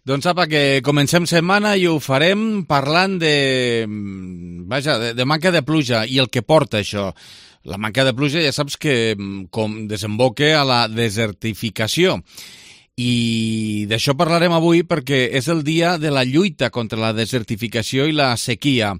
Doncs apa, que comencem setmana i ho farem parlant de manca de pluja i el que porta això. La manca de pluja ja saps que desemboca a la desertificació. I d'això parlarem avui perquè és el dia de la lluita contra la desertificació i la sequia.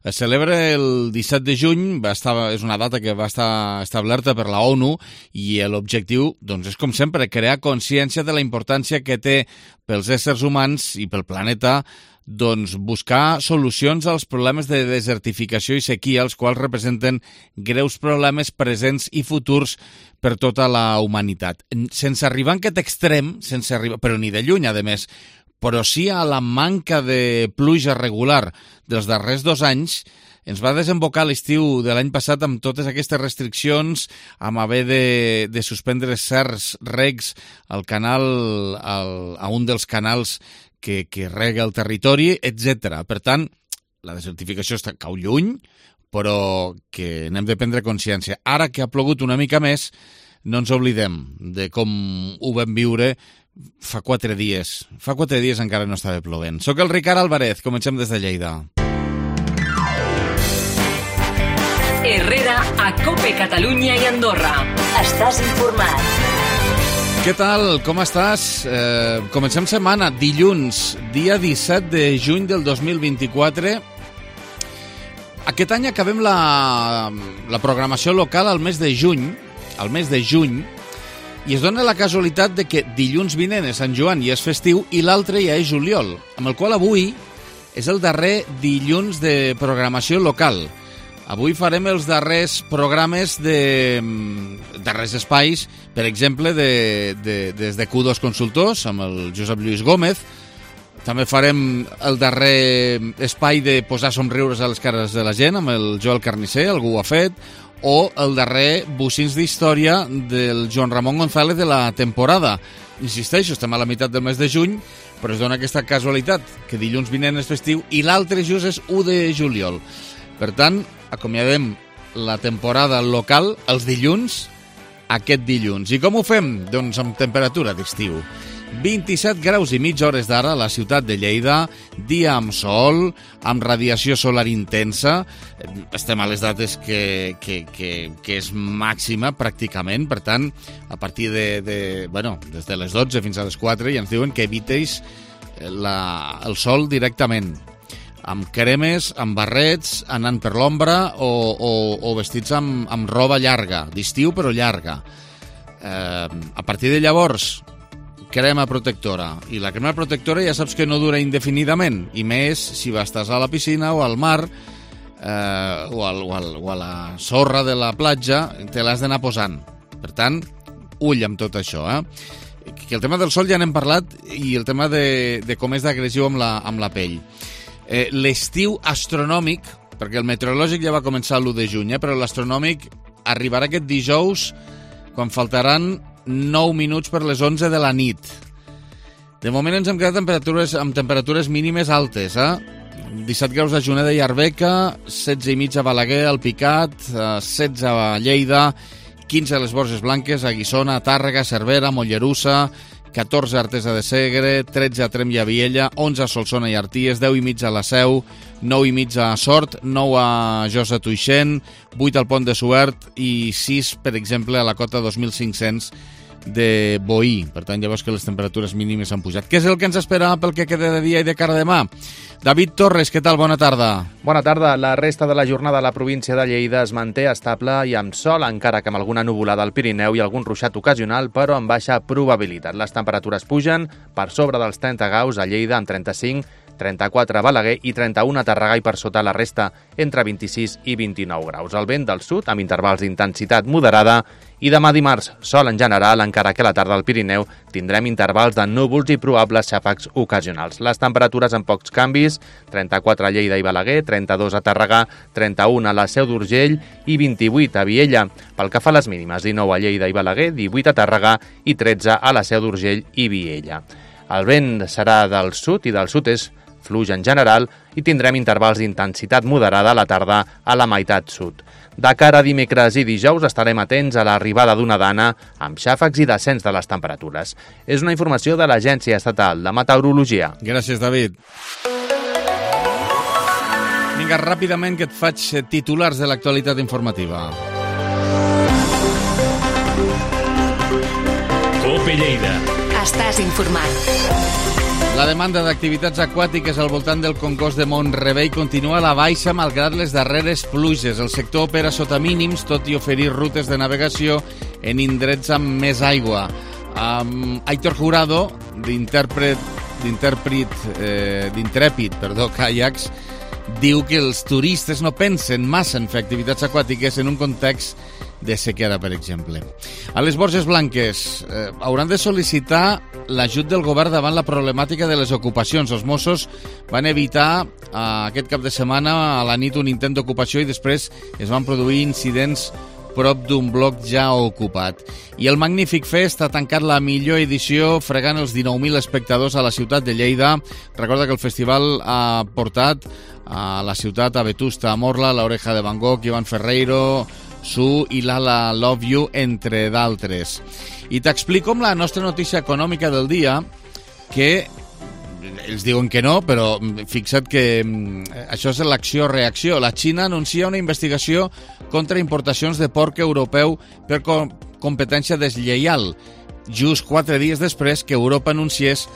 Es celebra el 17 de juny, és una data que va estar establerta per la ONU i l'objectiu doncs, és, com sempre, crear consciència de la importància que té pels éssers humans i pel planeta doncs, buscar solucions als problemes de desertificació i sequia, els quals representen greus problemes presents i futurs per tota la humanitat. Sense arribar a aquest extrem, però ni de lluny, a més, però sí a la manca de pluja regular dels darrers 2 anys, ens va desembocar l'estiu de l'any passat amb totes aquestes restriccions, amb haver de suspendre certs regs al canal, a un dels canals que rega el territori, etc. Per tant, la desertificació cau lluny, però que n'hem de prendre consciència. Ara que ha plogut una mica més, no ens oblidem de com ho vam viure fa 4 dies. Fa 4 dies encara no estava plovent. Soc el Ricard Álvarez, comencem des de Lleida. Herrera, a COPE Catalunya i Andorra. Estàs informat. Què tal? Com estàs? Comencem setmana, dilluns, dia 17 de juny del 2024. Aquest any acabem la programació local al mes de juny, i es dona la casualitat de que dilluns vinent és Sant Joan i és festiu i l'altre ja és juliol, amb el qual avui és el darrer dilluns de programació local. Avui farem els darrers programes darrers espais, per exemple, des de Q2 Consultors, amb el Josep Lluís Gómez. També farem el darrer espai de posar somriures a les cares de la gent, amb el Joel Carnisser, algú ho ha fet, o el darrer Bocins d'Història del Joan Ramon González de la temporada. Insisteixo, estem a la meitat del mes de juny, però es dona aquesta casualitat, que dilluns vinent és festiu i l'altre just és 1 de juliol. Per tant, acomiadem la temporada local els dilluns, aquest dilluns. I com ho fem? Doncs amb temperatura d'estiu. 27 graus i mitja hores d'ara a la ciutat de Lleida, dia amb sol, amb radiació solar intensa. Estem a les dates que és màxima pràcticament, per tant, a partir des de les 12 fins a les 4 ja ens diuen que evitéis el sol directament, amb cremes, amb barrets, anant per l'ombra o vestits amb roba llarga, d'estiu però llarga. A partir de llavors, crema protectora. I la crema protectora ja saps que no dura indefinidament, i més si estàs a la piscina o al mar o a la sorra de la platja, te l'has d'anar posant. Per tant, ull amb tot això, Que el tema del sol ja n'hem parlat, i el tema de com és d'agressiu amb la pell. L'estiu astronòmic, perquè el meteorològic ja va començar l'1 de juny, però l'astronòmic arribarà aquest dijous quan faltaran 9 minuts per les 11 de la nit. De moment ens hem quedat amb temperatures mínimes altes, 17 graus a Juneda i Arbeca, 16 i mig a Balaguer, al Picat, 16 a Lleida, 15 a les Borges Blanques, a Guissona, a Tàrrega, a Cervera, a Mollerussa, 14 a Artesa de Segre, 13 a Tremp i a Viella, 11 a Solsona i Arties, 10 i mig a la Seu, 9 i mig a Sort, 9 a Josa Tuixent, 8 al Pont de Suert i 6, per exemple, a la cota 2500 de Boí. Per tant, ja veus que les temperatures mínimes han pujat. Què és el que ens espera pel que queda de dia i de cara a demà? David Torres, què tal? Bona tarda. Bona tarda. La resta de la jornada a la província de Lleida es manté estable i amb sol, encara que amb alguna nuvolada al Pirineu i algun ruixat ocasional, però amb baixa probabilitat. Les temperatures pugen per sobre dels 30 graus a Lleida, amb 35, 34 a Balaguer i 31 a Tàrrega, i per sota la resta entre 26 i 29 graus. El vent del sud amb intervals d'intensitat moderada, i demà dimarts sol en general, encara que a la tarda al Pirineu tindrem intervals de núvols i probables xàfecs ocasionals. Les temperatures amb pocs canvis, 34 a Lleida i Balaguer, 32 a Tàrrega, 31 a la Seu d'Urgell i 28 a Viella. Pel que fa a les mínimes, 19 a Lleida i Balaguer, 18 a Tàrrega i 13 a la Seu d'Urgell i Viella. El vent serà del sud i del sud-est fluix en general i tindrem intervals d'intensitat moderada a la tarda a la meitat sud. De cara a dimecres i dijous estarem atents a l'arribada d'una dana amb xàfecs i descens de les temperatures. És una informació de l'Agència Estatal de Meteorologia. Gràcies, David. Vinga, ràpidament que et faig titulars de l'actualitat informativa. COPE Lleida. Estàs informat. La demanda d'activitats aquàtiques al voltant del congost de Mont-rebei continua a la baixa malgrat les darreres pluges. El sector opera sota mínims, tot i oferir rutes de navegació en indrets amb més aigua. Aitor Jurado, d'Intrèpid Kayaks, diu que els turistes no pensen massa en fer activitats aquàtiques en un context de sequera, per exemple. A les Borges Blanques hauran de sol·licitar l'ajut del govern davant la problemàtica de les ocupacions. Els Mossos van evitar aquest cap de setmana a la nit un intent d'ocupació i després es van produir incidents prop d'un bloc ja ocupat. I el Magnífic Fest ha tancat la millor edició fregant els 19.000 espectadors a la ciutat de Lleida. Recorda que el festival ha portat a la ciutat a Vetusta Morla, l'Oreja de Van Gogh, Ivan Ferreiro, Su i Lala Love You, entre d'altres. I t'explico amb la nostra notícia econòmica del dia, que ells diuen que no, però fixa't que això és l'acció-reacció. La Xina anuncia una investigació contra importacions de porc europeu per competència deslleial, just 4 dies després que Europa anunciés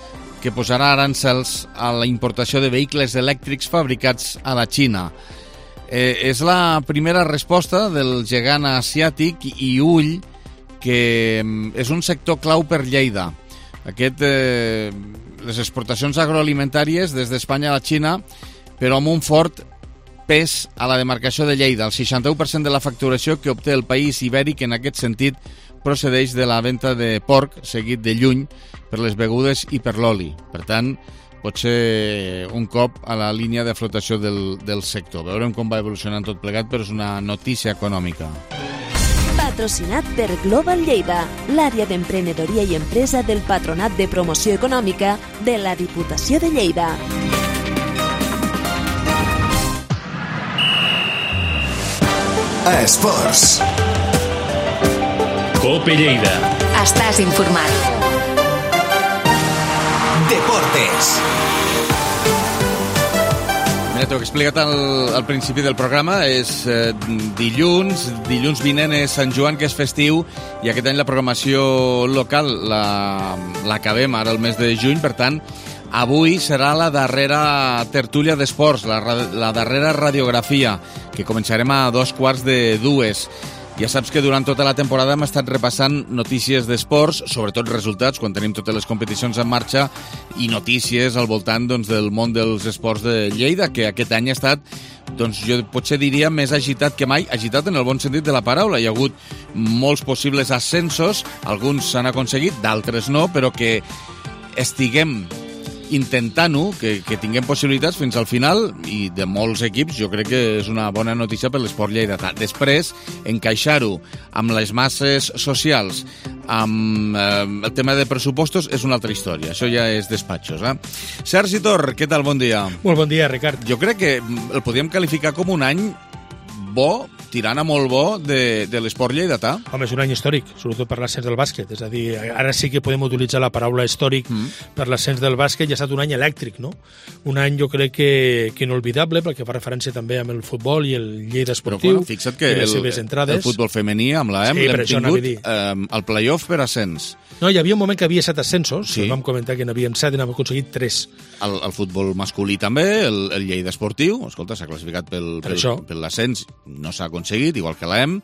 que posarà arancels a la importació de vehicles elèctrics fabricats a la Xina. És la primera resposta del gegant asiàtic i ull, que és un sector clau per Lleida. Les exportacions agroalimentàries des d'Espanya a la Xina, però amb un fort pes a la demarcació de Lleida. El 61% de la facturació que obté el país ibèric en aquest sentit procedeix de la venda de porc, seguit de lluny per les begudes i per l'oli. Per tant, pot ser un cop a la línia de flotació del sector. Veurem com va evolucionant tot plegat, però és una notícia econòmica. Patrocinat per Global Lleida, l'àrea d'emprenedoria i empresa del Patronat de Promoció Econòmica de la Diputació de Lleida. Esports. COPE Lleida. Estàs informat. Deportes. Mira, t'ho he explicat al principi del programa, és dilluns vinent és Sant Joan, que és festiu, i aquest any la programació local l'acabem ara el mes de juny, per tant, avui serà la darrera tertúlia d'esports, la darrera radiografia, que començarem a 2:15. Ja saps que durant tota la temporada hem estat repassant notícies d'esports, sobretot resultats, quan tenim totes les competicions en marxa, i notícies al voltant del món dels esports de Lleida, que aquest any ha estat, jo potser diria, més agitat que mai, agitat en el bon sentit de la paraula. Hi ha hagut molts possibles ascensos, alguns s'han aconseguit, d'altres no, però que estiguem intentant-ho, que tinguem possibilitats fins al final, i de molts equips jo crec que és una bona notícia per l'esport lleidatà. Després, encaixar-ho amb les masses socials, amb el tema de pressupostos, és una altra història. Això ja és despatxos. Sergi Tor, què tal? Bon dia. Molt bon dia, Ricard. Jo crec que el podríem qualificar com un any bo, tirant a molt bo, de l'esport lleidatà. Home, és un any històric, sobretot per l'ascens del bàsquet. És a dir, ara sí que podem utilitzar la paraula històric per l'ascens del bàsquet, i ha estat un any elèctric, no? Un any, jo crec que inolvidable, perquè fa referència també amb el futbol i el Lleida esportiu. Però, fixa't que el futbol femení, amb l'AM, l'hem tingut al play-off per ascens. No, hi havia un moment que havia 7 ascensos, sí. Vam comentar que n'havien 7 i n'hem aconseguit 3. El futbol masculí també, el Lleida esportiu, escolta, s'ha classificat per l'ascens, no s'ha aconseguit, igual que l'EM,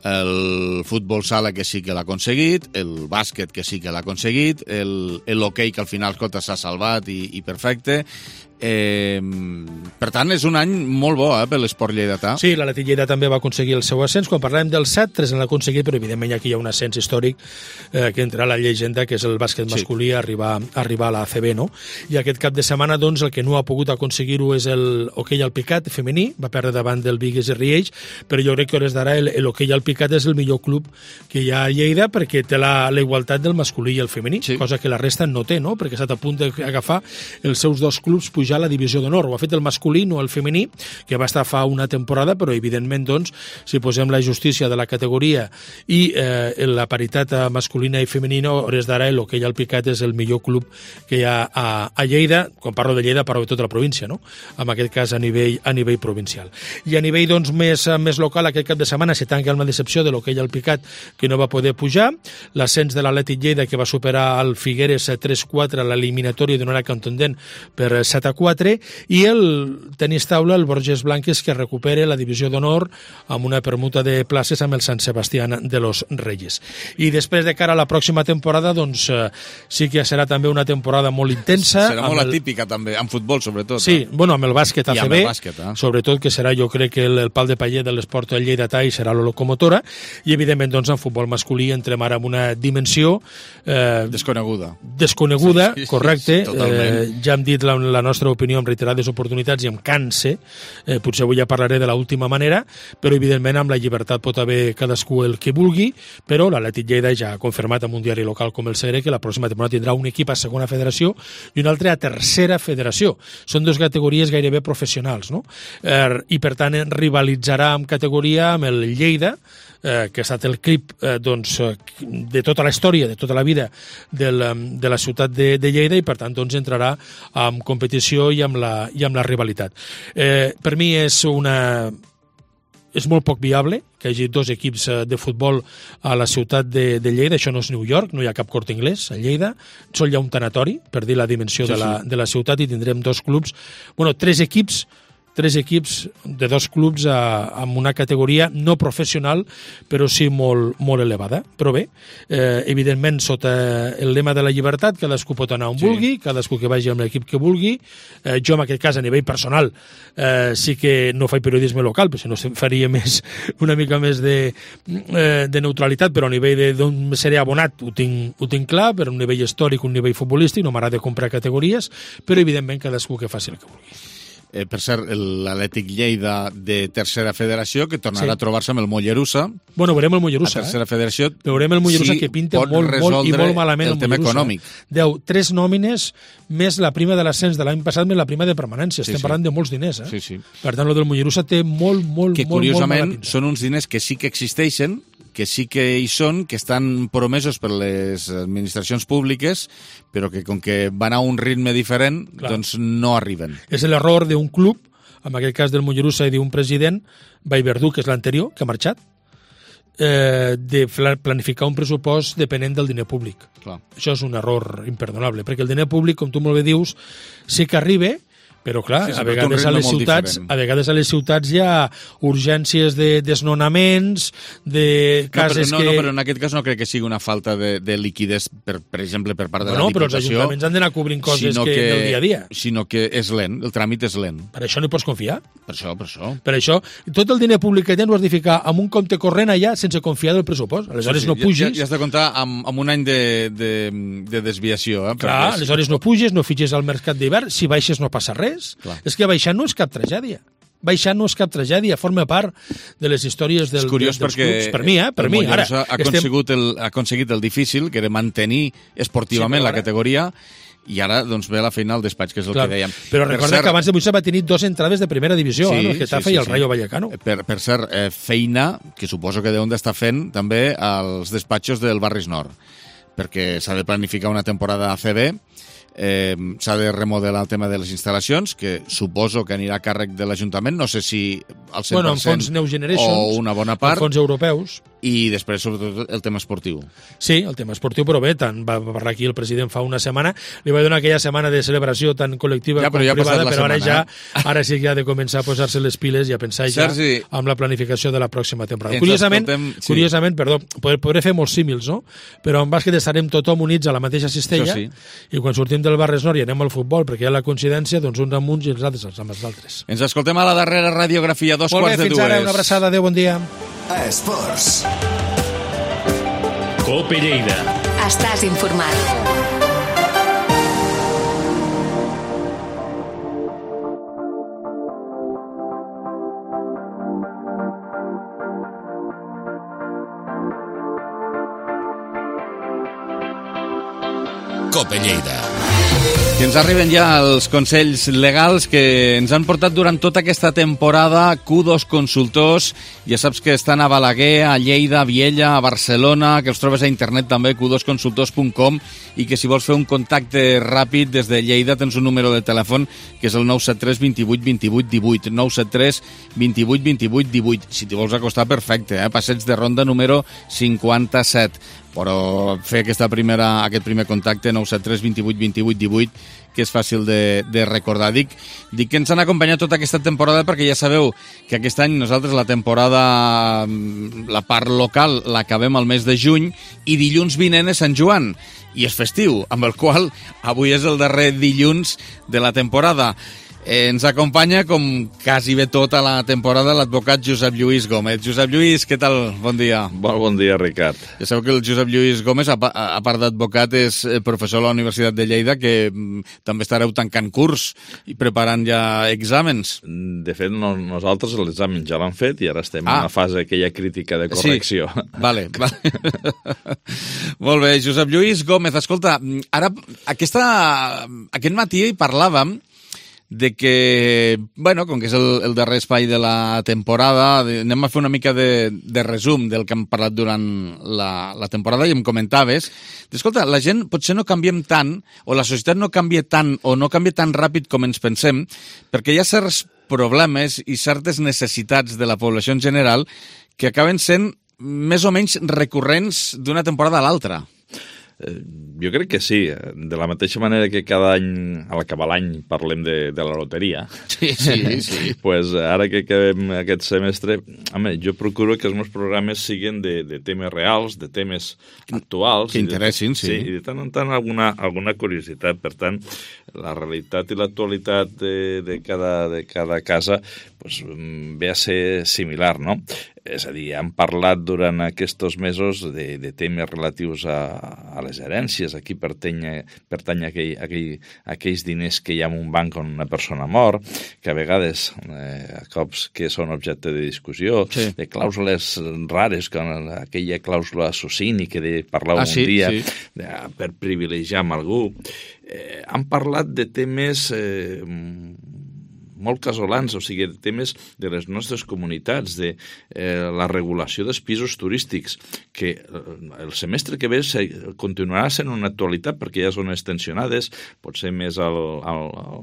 el futbol sala, que sí que l'ha aconseguit, el bàsquet, que sí que l'ha aconseguit, l'hoquei, que al final, escolta, s'ha salvat i perfecte. Per tant, és un any molt bo per l'esport lleidatà. Sí, l'Atlètic Lleida també va aconseguir el seu ascens. Quan parlem del 7, 3 l'han aconseguit, però evidentment aquí hi ha un ascens històric que entra a la llegenda, que és el bàsquet masculí, arribar a la ACB, no? I aquest cap de setmana, doncs, el que no ha pogut aconseguir-ho és l'hoquei al picat femení, va perdre davant del Bigues i Riells, però jo crec que a hores d'ara l'hoquei al picat és el millor club que hi ha a Lleida, perquè té la igualtat del masculí i el femení, cosa que la resta no té, no? Perquè ha estat a punt d'agafar els seus 2 clubs pujant pujar a la divisió d'honor. Ho ha fet el masculí, no el femení, que va estar fa una temporada, però evidentment, doncs, si posem la justícia de la categoria i la paritat masculina i femenina, a hores d'ara l'Hoquei Alpicat és el millor club que hi ha a Lleida. Quan parlo de Lleida parlo de tota la província, no? En aquest cas a nivell provincial. I a nivell doncs, més local, aquest cap de setmana se tanca una decepció de l'Hoquei Alpicat, que no va poder pujar, l'ascens de l'Atlètic Lleida, que va superar el Figueres 3-4 a l'eliminatòria d'una hora contundent per 7-4, i el tenis taula, el Borges Blanques, que recupera la divisió d'honor amb una permuta de places amb el Sant Sebastià de los Reyes. I després, de cara a la pròxima temporada, doncs sí que serà també una temporada molt intensa. Serà molt atípica també, en futbol sobretot. Sí, bueno, amb el bàsquet ACB, amb el bàsquet, sobretot, que serà, jo crec que el pal de paller de l'esport lleidatà i serà la locomotora, i evidentment doncs en futbol masculí entrem ara en una dimensió desconeguda, sí, correcte, ja hem dit la nostra opinió en reiterades oportunitats i em canse, potser avui ja parlaré de l'última manera, però evidentment amb la llibertat pot haver cadascú el que vulgui, però l'Atlètic Lleida ja ha confirmat en un diari local com el Segre que la pròxima temporada tindrà un equip a segona federació i un altre a tercera federació. Són dues categories gairebé professionals, no? I per tant rivalitzarà amb categoria amb el Lleida, que ha estat el CRIP de tota la història, de tota la vida de la ciutat de Lleida, i per tant doncs, entrarà en competició i amb la rivalitat. Per mi és molt poc viable que hi hagi dos equips de futbol a la ciutat de Lleida. Això no és New York, no hi ha cap Corte Inglés a Lleida, sol hi ha un tanatori, per dir la dimensió de la ciutat, i tindrem dos clubs, tres equips de dos clubs amb una categoria no professional, però sí molt elevada. Però bé, evidentment, sota el lema de la llibertat, cadascú pot anar on vulgui, cadascú que vagi amb l'equip que vulgui. Jo, en aquest cas, a nivell personal, sí que no faig periodisme local, però si no faria una mica més de neutralitat, però a nivell d'on seré abonat ho tinc clar, per un nivell històric, un nivell futbolístic, no m'agrada comprar categories, però evidentment cadascú que faci el que vulgui. Per cert, l'Atlètic Lleida de tercera federació, que tornarà a trobar-se amb el Mollerussa. Bueno, veurem el Mollerussa. A tercera federació. Veurem el Mollerussa, que pinta molt i molt malament el tema econòmic. 3 nòmines més la prima de l'ascens de l'any passat més la prima de permanència. Estem parlant de molts diners. Sí. Per tant, el del Mollerussa té molt mala pinta. Que curiosament són uns diners que sí que existeixen, que sí que hi són, que estan promesos per les administracions públiques, però que com que van a un ritme diferent, doncs no arriben. És l'error d'un club, en aquest cas del Mollerussa i d'un president, Vallverdú, que és l'anterior, que ha marxat, de planificar un pressupost depenent del diner públic. Clar. Això és un error imperdonable, perquè el diner públic, com tu molt bé dius, sí que arriba, però clar, a vegades a les ciutats hi ha urgències de desnonaments, de cases que... No, però en aquest cas no crec que sigui una falta de liquiditat, per exemple, per part de la Diputació. Però els ajuntaments han d'anar cobrint coses del dia a dia. Sinó que és lent, el tràmit és lent. Per això no hi pots confiar. Per això. Per això, tot el diner públic que tens ho has de ficar en un compte corrent allà sense confiar del pressupost. Aleshores no pugis... Ja has de comptar amb un any de desviació. Clar, aleshores no puges, no fitxes al mercat d'hivern, si baixes no passa res. Clar. És que baixar no és cap tragèdia. Forma part de les històries dels clubs. Per mi, Per mi. Ara, ha aconseguit el difícil, que era mantenir esportivament la categoria, i ara doncs, ve la feina al despatx, que és el que dèiem. Però recorda que abans de Buissa va tenir 2 entrades de primera divisió, el Getafe i el Rayo Vallecano. Per cert, feina que suposo que deuen d'estar fent també als despatxos del Barris Nord, perquè s'ha de planificar una temporada ACB, s'ha de remodelar el tema de les instal·lacions, que suposo que anirà a càrrec de l'Ajuntament, no sé si al 100% en fons New Generations, o una bona part, fons europeus, i després sobretot el tema esportiu. Sí, el tema esportiu, però bé, tant va parlar aquí el president fa una setmana, li va donar aquella setmana de celebració tan col·lectiva com privada, però ara sí que ha de començar a posar-se les piles i a pensar Sergi, amb la planificació de la pròxima temporada. Curiosament, podré fer molts símils, no? Però en bàsquet estarem tothom units a la mateixa cistella, i quan sortim del Barris Nord i anem al futbol, perquè hi ha la coincidència, doncs uns amb uns i els altres amb els altres. Ens escoltem a la darrera radiografia, 2:15. Molt bé, fins ara, una abraçada, adéu, bon dia. Esports. Cope Lleida. Estàs informat. COPE Lleida. I ens arriben ja els consells legals que ens han portat durant tota aquesta temporada Q2 Consultors. Ja saps que estan a Balaguer, a Lleida, a Viella, a Barcelona, que els trobes a internet també, q2consultors.com, i que si vols fer un contacte ràpid des de Lleida tens un número de telèfon que és el 973 28 28 18, 973 28 28 18. Si t'hi vols acostar, perfecte, Passeig de Ronda número 57. Però fer aquest primer contacte 973 28 28 18, que és fàcil de recordar. Dic que ens han acompanyat tota aquesta temporada perquè ja sabeu que aquest any nosaltres la temporada, la part local, l'acabem al mes de juny i dilluns vinent és Sant Joan i és festiu, amb el qual avui és el darrer dilluns de la temporada. Ens acompanya, com quasi bé tota la temporada, l'advocat Josep Lluís Gómez. Josep Lluís, què tal? Bon dia. Molt bon dia, Ricard. Ja sabeu que el Josep Lluís Gómez, a part d'advocat, és professor a la Universitat de Lleida, que també estareu tancant curs i preparant ja exàmens. De fet, nosaltres l'examen ja l'han fet i ara estem en una fase aquella crítica de correcció. Sí. Vale. Molt bé, Josep Lluís Gómez, escolta, ara aquest matí hi parlàvem de que, com que és el darrer espai de la temporada, anem a fer una mica de resum del que hem parlat durant la temporada i em comentaves, escolta, la gent potser no canviem tant, o la societat no canvia tant, o no canvia tan ràpid com ens pensem, perquè hi ha certs problemes i certes necessitats de la població en general que acaben sent més o menys recurrents d'una temporada a l'altra. Jo crec que sí, de la mateixa manera que cada any, a l'acabar l'any, parlem de la loteria. Sí. Pues ara que acabem aquest semestre, jo procuro que els meus programes siguin de temes reals, de temes actuals. Que interessin, sí. I de tant en tant alguna curiositat. Per tant, la realitat i l'actualitat de cada casa pues, ve a ser similar, no? És a dir, hem parlat durant aquests mesos de temes relatius a les herències. Aquí pertany aquells diners que hi ha en un banc on una persona mor, que a vegades, a cops que són objecte de discussió, sí. De clàusules rares, com aquella clàusula Socini que parlàvem un dia, per privilegiar amb algú. Han parlat de temes molt casolans, o sigui, de temes de les nostres comunitats, de la regulació dels pisos turístics, que el semestre que ve continuarà sent una actualitat perquè ja són extensionades, potser més al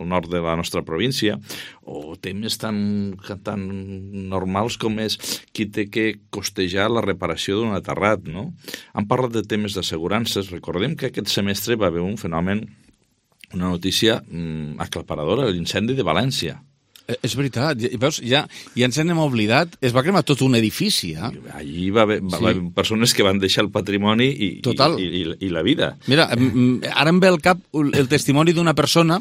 nord de la nostra província, o temes tan normals com és qui té que costejar la reparació d'un aterrat, no? Han parlat de temes d'assegurances. Recordem que aquest semestre va haver un fenomen, una notícia aclaparadora, l'incendi de València. És veritat, veus, ja ens n'hem oblidat, es va cremar tot un edifici. Allí va haver persones que van deixar el patrimoni i la vida. Mira, ara em ve al cap el testimoni d'una persona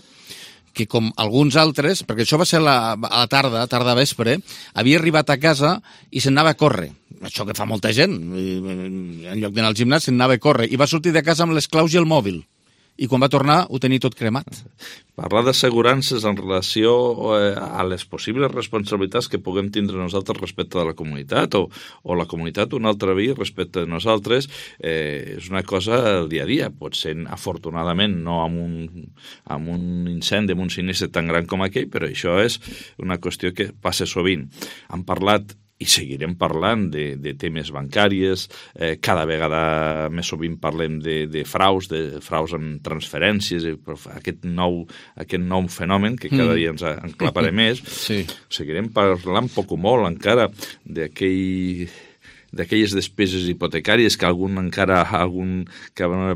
que, com alguns altres, perquè això va ser a la tarda vespre, havia arribat a casa i se'n anava a córrer. Això que fa molta gent, en lloc d'anar al gimnàs se'n anava a córrer, i va sortir de casa amb les claus i el mòbil. I quan va tornar ho tenia tot cremat. Parlar d'assegurances en relació a les possibles responsabilitats que puguem tindre nosaltres respecte de la comunitat o la comunitat un altre vi respecte de nosaltres és una cosa del dia a dia. Pot ser, afortunadament, no amb un incendi, amb un sinistre tan gran com aquell, però això és una qüestió que passa sovint. Han parlat i seguirem parlant de temes bancàries, cada vegada més sovint parlem de fraus amb transferències, aquest nou fenomen que cada dia ens enclaparé més. Sí. Seguirem parlant poc o molt encara d'aquelles despeses hipotecàries que una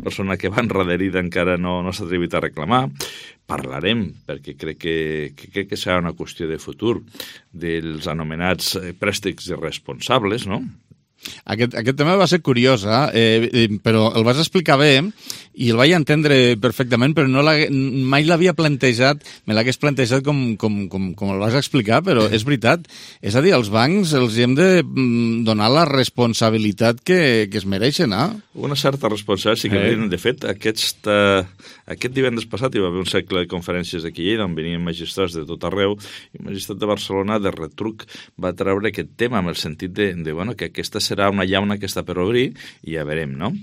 persona que va enrederida encara no s'ha atrevit a reclamar. Parlarem, perquè crec que serà una qüestió de futur, dels anomenats préstecs irresponsables, no? Aquest tema va ser curiós, però el vas explicar bé i el vaig entendre perfectament, però mai l'havia plantejat, me l'hagués plantejat com el vas explicar, però és veritat. És a dir, als bancs els hem de donar la responsabilitat que es mereixen, Una certa responsabilitat, sí que de fet, aquest divendres passat hi va haver un cicle de conferències aquí a Lleida on venien magistrats de tot arreu i el magistrat de Barcelona de retruc va treure aquest tema amb el sentit de que aquesta serà una llauna que està per obrir i ja veurem, no?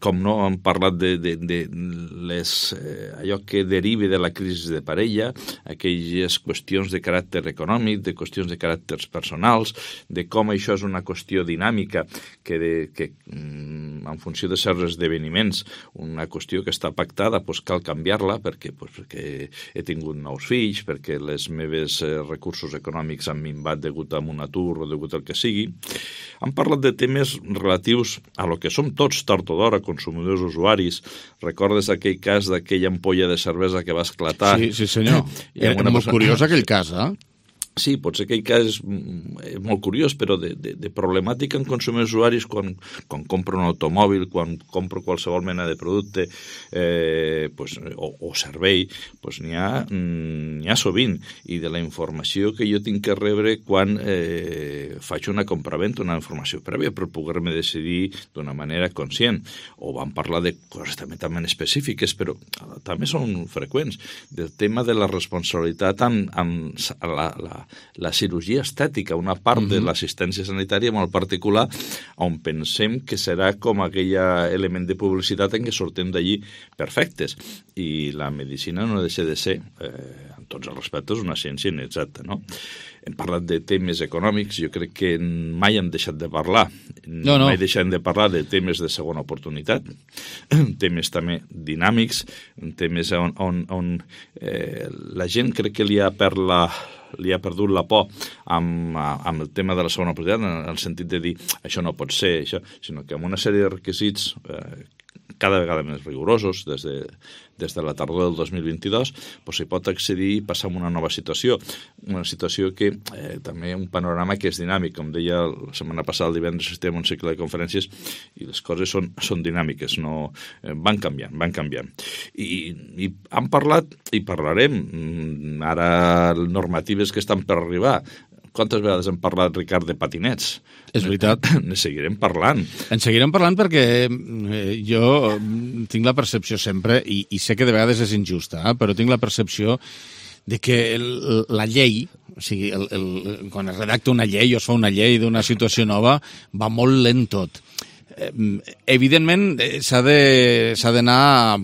com no, hem parlat de allò que deriva de la crisi de parella, aquelles qüestions de caràcter econòmic, de qüestions de caràcters personals, de com això és una qüestió dinàmica que en funció de certs esdeveniments, una qüestió que està pactada, doncs cal canviar-la perquè he tingut nous fills, perquè els meus recursos econòmics han minvat degut a un atur o degut al que sigui. Han parlat de temes relatius a lo que som tots tard o d'hora, consumidors usuaris. Recordes aquell cas d'aquella ampolla de cervesa que va esclatar? Sí, senyor. Era molt curiós aquell cas, eh? Sí, potser aquell cas és molt curiós, però de problemàtica en consumidors usuaris quan compro un automòbil, quan compro qualsevol mena de producte o servei, n'hi ha sovint. I de la informació que jo tinc que rebre quan faig una compraventa, una informació prèvia per poder-me decidir d'una manera conscient. O vam parlar de coses també específiques, però també són freqüents, del tema de la responsabilitat amb la cirurgia estètica, una part de l'assistència sanitària molt particular, on pensem que serà com aquell element de publicitat en què sortim d'allí perfectes. I la medicina no deixa de ser, en tots els respectes, una ciència inexacta, no? Hem parlat de temes econòmics, jo crec que mai hem deixat de parlar. No. Mai deixem de parlar de temes de segona oportunitat, temes també dinàmics, temes on la gent crec que li ha perdut la por amb el tema de la segona oportunitat, en el sentit de dir això no pot ser, això, sinó que amb una sèrie de requisits cada vegada més rigorosos des de la tardor del 2022, s'hi pot accedir i passar a una nova situació. Una situació que també un panorama que és dinàmic. Com deia la setmana passada, el divendres assistíem a un cicle de conferències i les coses són dinàmiques, no, van canviant. I han parlat i parlarem ara normatives que estan per arribar. Quantes vegades hem parlat, Ricard, de patinets? És veritat. Ne seguirem parlant. En seguirem parlant perquè jo tinc la percepció sempre, i sé que de vegades és injusta, però tinc la percepció de que la llei, o sigui, quan es redacta una llei o es fa una llei d'una situació nova, va molt lent tot. Evidentment s'ha d'anar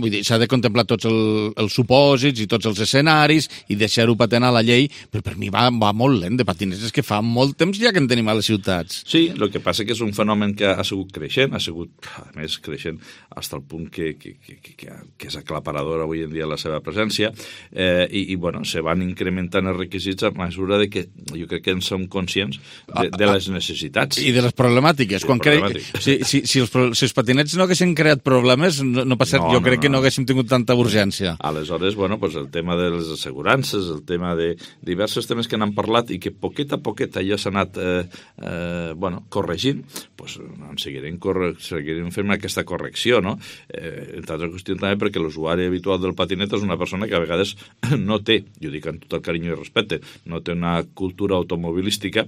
vull dir, s'ha de contemplar tots els supòsits i tots els escenaris i deixar-ho patent a la llei, però per mi va molt lent de patinets. És que fa molt temps ja que en tenim a les ciutats. Sí, el que passa que és un fenomen que ha sigut creixent, a més creixent fins al punt que és aclaparador avui en dia la seva presència, i bueno, se van incrementant els requisits a mesura de que jo crec que en som conscients de les necessitats. I de les problemàtiques. Si els patinets no haguessin creat problemes, no passaria. Jo crec que no haguéssim tingut tanta urgència. Aleshores, bueno, pues el tema de les assegurances, el tema de diversos temes que n'han parlat i que poquet a poquet allò s'ha anat corregint, pues en seguirem fent aquesta correcció, no? Entre altres qüestions també perquè l'usuari habitual del patinet és una persona que a vegades no té, jo dic amb tot el carinyo i respecte, no té una cultura automobilística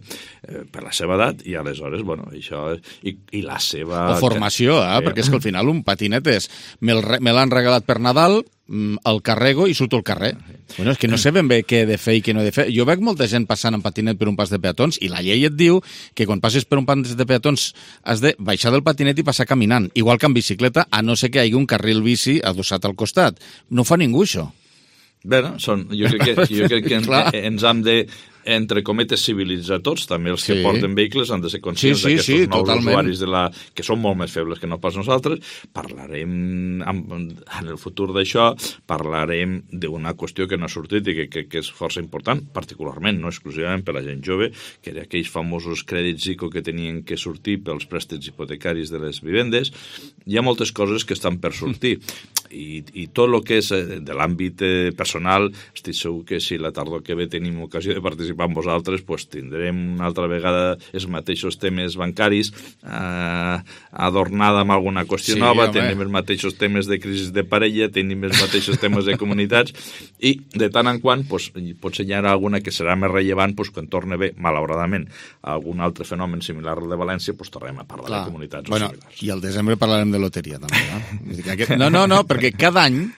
per la seva edat i aleshores, bueno, això i la seva... O formació, perquè és que al final un patinet és me l'han regalat per Nadal, el carrego i surto al carrer. Bueno, és que no sé ben bé què he de fer i què no he de fer. Jo veig molta gent passant en patinet per un pas de peatons i la llei et diu que quan passes per un pas de peatons has de baixar del patinet i passar caminant, igual que en bicicleta, a no ser que hi hagi un carril bici adossat al costat. No fa ningú, això. Bé, jo crec que ens hem de, entre cometes, civilitzar tots, també els que porten vehicles han de ser conscients d'aquests nous totalment. usuaris que són molt més febles que no pas nosaltres. Parlarem en el futur d'això, parlarem d'una qüestió que no ha sortit i que és força important, particularment, no exclusivament per la gent jove, que era aquells famosos crèdits ICO que tenien que sortir pels préstecs hipotecaris de les vivendes. Hi ha moltes coses que estan per sortir i tot el que és de l'àmbit personal, estic segur que si la tardor que ve tenim ocasió de participar amb vosaltres, doncs tindrem una altra vegada els mateixos temes bancaris adornada amb alguna qüestió nova, tenim els mateixos temes de crisi de parella, tenim els mateixos temes de comunitats i de tant en quant potser hi ha alguna que serà més rellevant quan torna bé, malauradament, algun altre fenomen similar al de València, tornarem a parlar de comunitats o similars. I al desembre parlarem de loteria també, no? No, perquè cada any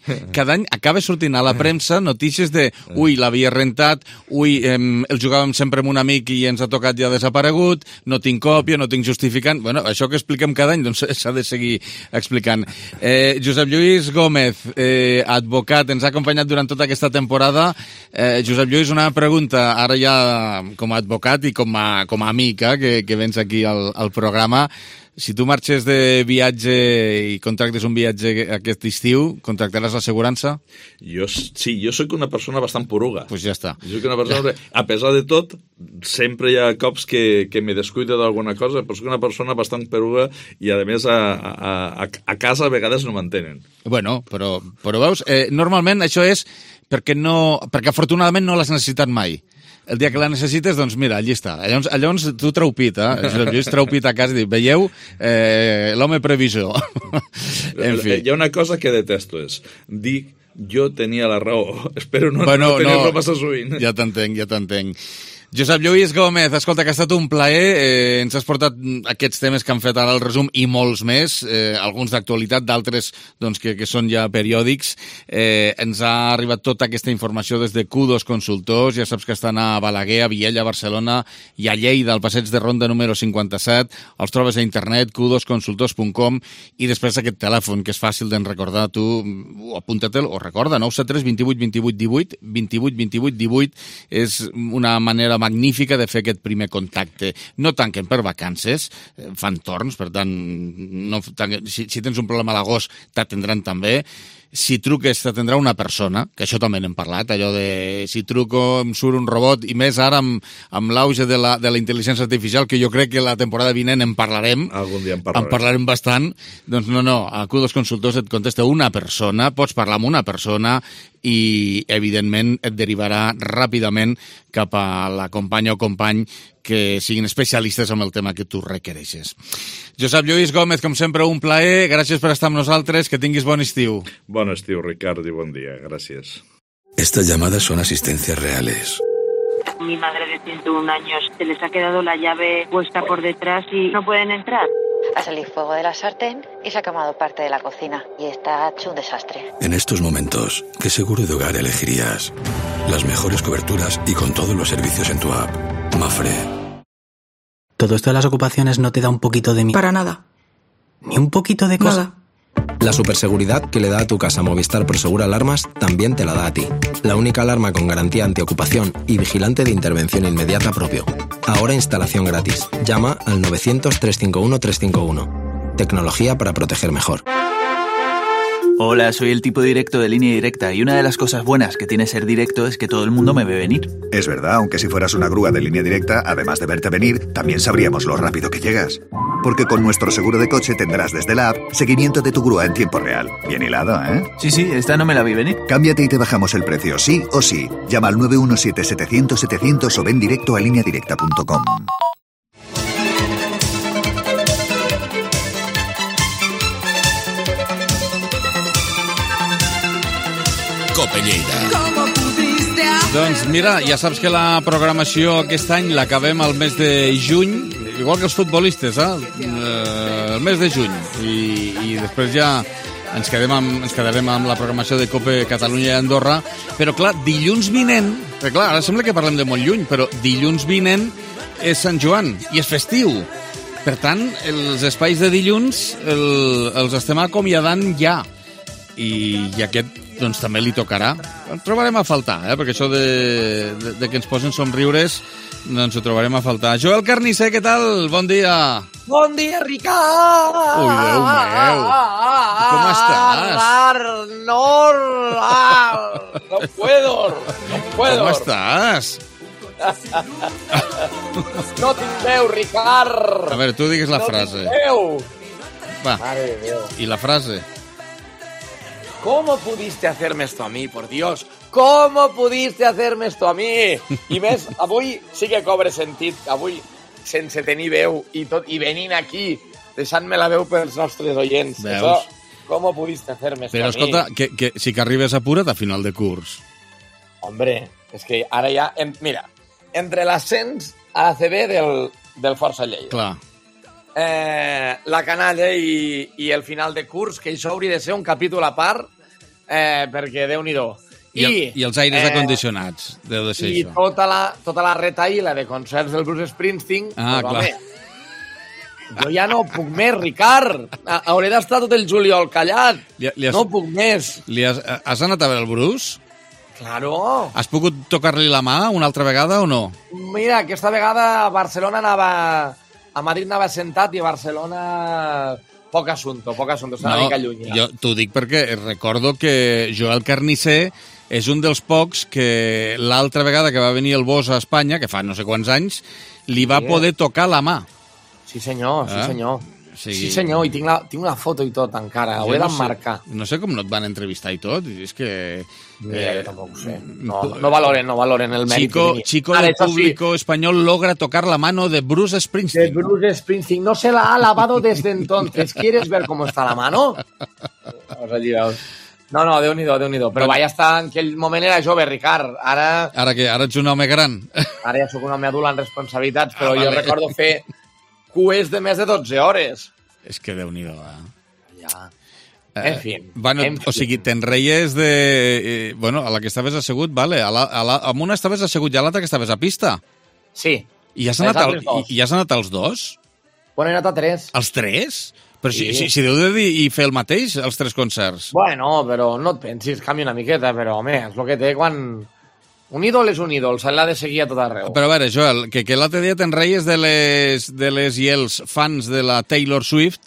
acaba sortint a la premsa notícies de l'havia rentat, el jugàvem sempre amb un amic i ens ha tocat ja desaparegut, no tinc còpia, no tinc justificant... Bueno, això que expliquem cada any, doncs s'ha de seguir explicant. Josep Lluís Gómez, advocat, ens ha acompanyat durant tota aquesta temporada. Josep Lluís, una pregunta, ara ja com a advocat i com a amic, que vens aquí al programa. Si tu marxes de viatge i contractes un viatge aquest estiu, contractaràs l'assegurança? Sí, jo soc una persona bastant poruga. Pues ja està. Jo soc una persona, a pesar de tot, sempre hi ha cops que me descuido d'alguna cosa, però soc una persona bastant poruga i, a més, a casa a vegades no m'entenen. Bueno, però veus, normalment això és perquè afortunadament no l'has necessitat mai. El dia que la necessites, doncs mira, allí està. Llavors tu treu pit, Josep Lluís treu pit a casa i diu, veieu, l'home previsor. En fi. Hi ha una cosa que detesto, és dir jo tenia la raó. Espero no tenir-lo massa sovint. Ja t'entenc. Josep Lluís Gómez, escolta, que ha estat un plaer. Ens has portat aquests temes que han fet ara el resum i molts més, alguns d'actualitat, d'altres doncs, que són ja periòdics. Ens ha arribat tota aquesta informació des de Q2 Consultors. Ja saps que estan a Balaguer, a Viella, a Barcelona i a Lleida, al passeig de Ronda número 57. Els trobes a internet, q2consultors.com, i després aquest telèfon, que és fàcil d'en recordar. Tu apunta-te'l o recorda, 973 28 28 18, 28 28 18, és una manera magnífica de fer aquest primer contacte. No tanquen per vacances, fan torns, per tant, si tens un problema a l'agost, t'atendran també. Si truques, t'atendrà una persona, que això també n'hem parlat, allò de si truco em surt un robot, i més ara amb l'auge de la intel·ligència artificial, que jo crec que la temporada vinent en parlarem. Algun dia en parlarem bastant. Doncs no, a Q2 Consultors et contesta una persona, pots parlar amb una persona i, evidentment, et derivarà ràpidament cap a la companya o company que siguin especialistes en el tema que tu requereixes. Josep Lluís Gómez, com sempre, un plaer. Gràcies per estar amb nosaltres. Que tinguis bon estiu. Bon estiu, Ricard, i bon dia. Gràcies. Estas llamadas son asistencias reales. Mi madre de 101 años, se les ha quedado la llave puesta por detrás y no pueden entrar. Ha salido fuego de la sartén y se ha quemado parte de la cocina. Y está hecho un desastre. En estos momentos, ¿qué seguro de hogar elegirías? Las mejores coberturas y con todos los servicios en tu app. Mafre. ¿Todo esto de las ocupaciones no te da un poquito de miedo? Para nada. ¿Ni un poquito de cosa? Nada. La superseguridad que le da a tu casa Movistar Prosegur Alarmas también te la da a ti. La única alarma con garantía antiocupación y vigilante de intervención inmediata propio. Ahora instalación gratis. Llama al 900-351-351. Tecnología para proteger mejor. Hola, soy el tipo directo de Línea Directa y una de las cosas buenas que tiene ser directo es que todo el mundo me ve venir. Es verdad, aunque si fueras una grúa de Línea Directa, además de verte venir, también sabríamos lo rápido que llegas. Porque con nuestro seguro de coche tendrás desde la app seguimiento de tu grúa en tiempo real. Bien hilado, ¿eh? Sí, esta no me la vi venir. Cámbiate y te bajamos el precio, sí o sí. Llama al 917-700-700 o ven directo a lineadirecta.com. Cope Lleida. Doncs mira, ja saps que la programació aquest any l'acabem al mes de juny, igual que els futbolistes, el mes de juny. I després ja ens quedarem amb la programació de Cope Catalunya i Andorra. Però clar, dilluns vinent, clar, ara sembla que parlem de molt lluny, però dilluns vinent és Sant Joan i és festiu. Per tant, els espais de dilluns els estem acomiadant ja. I aquest doncs també li tocarà. Ens trobarem a faltar, perquè això de que ens posen somriures doncs ho trobarem a faltar. Joel Carnisser, què tal? Bon dia. Bon dia, Ricard! Ui, Déu meu! Com estàs? No puedo. Com estàs? No tinc veu, Ricard! A veure, tu digues la frase. No tinc veu! Va, i la frase? ¿Cómo pudiste hacerme esto a mí, por Dios? ¿Cómo pudiste hacerme esto a mí? I més, avui sí que cobre sentit, avui sense tenir veu i tot, i venint aquí, deixant-me la veu pels nostres oients. Veus? Això, ¿cómo pudiste hacerme esto Però a mí? escolta, que sí que arribes apura't a final de curs. Hombre, és que ara ja... Mira, entre l'ascens a ACB del Força Lleida. Clar. la canalla i el final de curs, que això hauria de ser un capítol a part, perquè Déu-n'hi-do. I els aires acondicionats, deu de ser això. I tota la retaïla de concerts del Bruce Springsteen, clar. Home, jo ja no puc més, Ricard. Hauré d'estar tot el juliol callat. No puc més. Has anat a veure el Bruce? Claro. Has pogut tocar-li la mà una altra vegada o no? Mira, aquesta vegada a Barcelona anava... A Madrid anava sentat i a Barcelona... Poc assunto, està una mica lluny. Jo t'ho dic perquè recordo que Joel Carnicer és un dels pocs que l'altra vegada que va venir el Bosch a Espanya, que fa no sé quants anys, li va poder tocar la mà. Sí, senyor, sí, senyor. Sí, senyor, i tinc una foto i tot encara, ho he d'emmarcar. No sé com no et van entrevistar i tot, és que... Mira, jo tampoc ho sé. No valoren el mèrit que tenia. Chico del público español logra tocar la mano de Bruce Springsteen. De Bruce Springsteen. No se la ha lavado desde entonces. ¿Quieres ver cómo está la mano? No, Déu-n'hi-do. Però vaja estar en aquell moment era jove, Ricard. Ara ets un home gran. Ara ja sóc un home adult amb responsabilitats, però jo recordo fer cues de més de 12 hores. És que Déu-n'hi-do, Ja. En fi. O sigui, te'n reies de... Bueno, a la que estaves assegut, vale. Amb una estaves assegut i a l'altra que estaves a pista. Sí. I has anat als dos? Bueno, he anat a 3. Els 3? Però si deu de dir i fer el mateix, els 3 concerts. Bueno, però no et pensis, canvia una miqueta, però, home, és el que té quan... Un ídol és un ídol, se l'ha de seguir a tot arreu. Però a veure, Joel, que l'altre dia te'n reies de les i els fans de la Taylor Swift,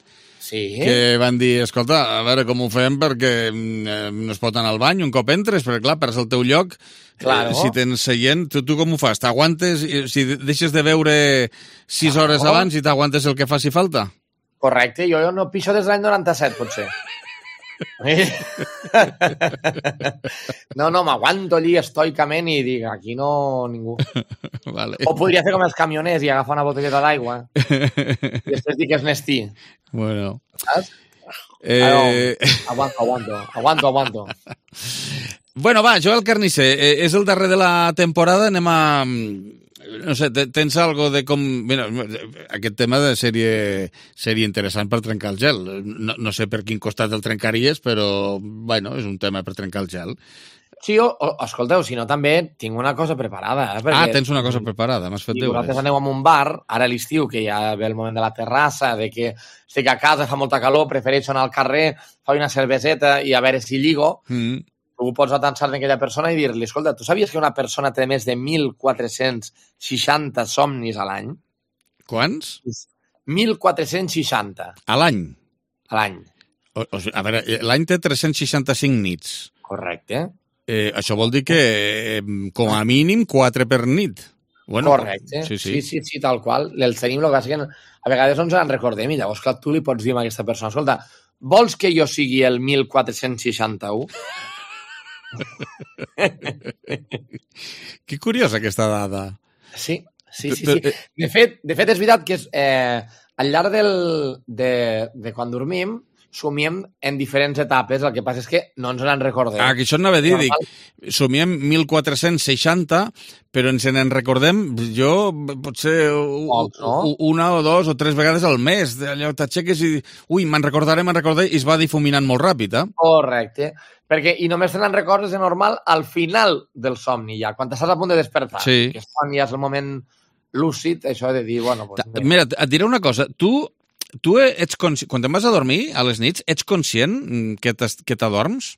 que van dir, escolta, a veure com ho fem perquè no es pot anar al bany un cop entres, perquè clar, perds el teu lloc. Si tens seient, tu com ho fas? T'aguantes, si deixes de veure 6 hores abans i t'aguantes el que faci falta? Correcte, jo no pixo des de l'any 97, potser. No, m'aguanto allí estoicament i dic, aquí no ningú. Vale. O podria fer com els camioners i agafar una botelleta d'aigua i després dir que és Nestí. Bueno. Saps? Aguanto. Bueno, va, Joel Carnicer, és el darrer de la temporada, anem a... No sé, tens algo de com... Mira, aquest tema de seria interessant per trencar el gel. No sé per quin costat el trencaries, però, bueno, és un tema per trencar el gel. Sí, escolteu, si no també tinc una cosa preparada. Perquè, tens una cosa preparada, m'has fet deures. Vosaltres aneu a un bar, ara a l'estiu, que ja ve el moment de la terrassa, de que estic a casa, fa molta calor, prefereixo anar al carrer, fa una cerveseta i a veure si lligo... Tu pots atansar-te aquella persona i dir-li, escolta, tu sabies que una persona té més de 1.460 somnis a l'any? Quants? 1.460. A l'any? A l'any. A veure, l'any té 365 nits. Correcte. Això vol dir que, com a mínim, 4 per nit. Bueno, correcte. Sí, tal qual. Els tenim, el que passa que a vegades no ens en recordem i llavors clar, tu li pots dir a aquesta persona, escolta, vols que jo sigui el 1461? Que curiosa aquesta dada. Sí. De fet, és veritat que al llarg de quan dormim somiem en diferents etapes, el que passa és que no ens en recordem. Que això anava a dir, somiem 1460, però ens en recordem, jo, potser una o 2 o 3 vegades al mes. Allò t'aixeques i me'n recordaré, i es va difuminant molt ràpid, Correcte. I només te n'en recordes de normal al final del somni, ja, quan t'estàs a punt de despertar. Sí. Que és quan ja és el moment lúcid, això de dir, bueno... Mira, et diré una cosa, tu ets conscient, quan te'n vas a dormir a les nits, ets conscient que t'adorms?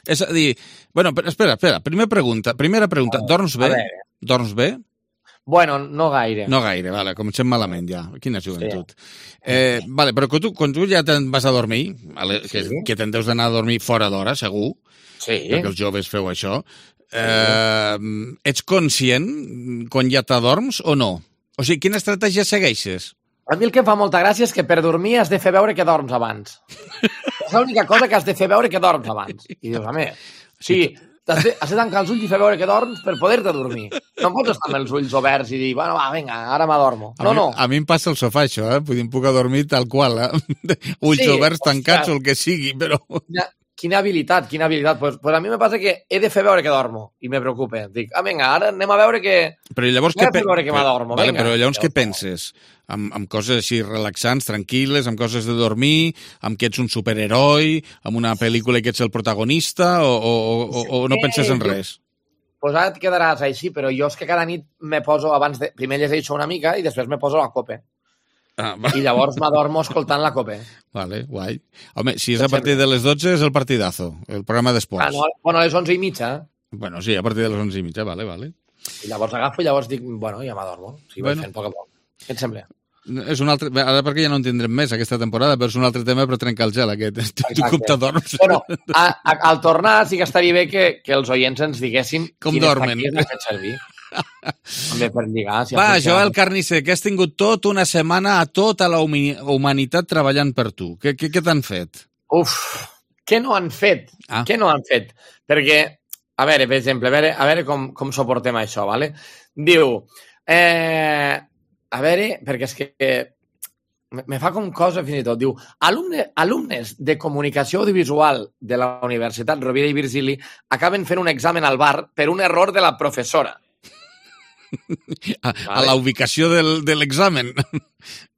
És a dir, bueno, espera, primera pregunta, dorms bé? Dorms bé? Bueno, no gaire. No gaire, vale, comencem malament ja, quina joventut. Vale, però quan tu ja te'n vas a dormir, que te'n deus d'anar a dormir fora d'hora, segur, perquè els joves feu això, ets conscient quan ja t'adorms o no? O sigui, quina estratègia segueixes? A mi el que em fa molta gràcia és que per dormir has de fer veure que dorms abans. És l'única cosa que has de fer veure que dorms abans. I dius, home, has de tancar els ulls i fer veure que dorms per poder-te dormir. No pots estar amb els ulls oberts i dir, bueno, va, vinga, ara m'adormo. No. A mi em passa el sofà, això, Em puc adormir tal qual, Ulls oberts, tancats o el que sigui, però... Quina habilitat. Pues a mi me passa que he de fer veure que dormo i me preocupa. Dic, vinga, ara anem a veure que... Però llavors m'adormo. Vale, però llavors què penses? Amb coses així relaxants, tranquil·les, amb coses de dormir, amb que ets un superheroi, amb una pel·lícula i que ets el protagonista, o no penses en res? Pues ara et quedaràs així, però jo és que cada nit me poso abans de... Primer llegeixo una mica i després me poso la copa. I llavors m'adormo escoltant la copa. Vale, guai. Home, si és a partir de les 12 és el partidazo, el programa d'esports. No, bueno, a les 11:30. Bueno, sí, a partir de les 11:30, vale. I llavors agafo i llavors dic, bueno, ja m'adormo. Sí, vaig fent poc a poc. Què et sembla? És un altre... Ara perquè ja no en tindrem més aquesta temporada, però és un altre tema per trencar el gel, aquest. Tu com t'adorms? Bueno, al tornar sí que estaria bé que els oients ens diguessin com dormen. Quines tàctiques has fet servir. També per lligar. Va, Joel Carnicer, que has tingut tot una setmana a tota la humanitat treballant per tu. Què t'han fet? Uf, què no han fet? Què no han fet? Perquè, a veure, per exemple, a veure com suportem això, ¿vale? Diu, a veure, perquè és que me fa com cosa fins i tot. Diu, alumnes de comunicació audiovisual de la Universitat Rovira i Virgili acaben fent un examen al bar per un error de la professora. A la ubicació de l'examen.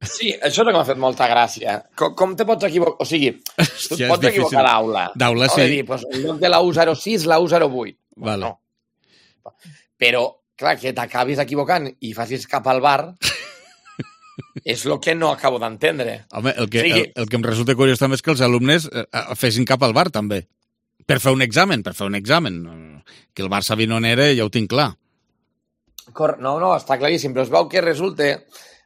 Sí, això és el que m'ha fet molta gràcia. Com te pots equivocar? O sigui, tu et pots equivocar d'aula. D'aula, sí. Dir, pues, en lloc de la U06, la U08. Vale. No. Però, clar, que t'acabis equivocant i facis cap al bar és el que no acabo d'entendre. Home, el que em resulta curiós també és que els alumnes fessin cap al bar, també. Per fer un examen. Que el bar sabien on era, ja ho tinc clar. No, està claríssim, però es veu que resulta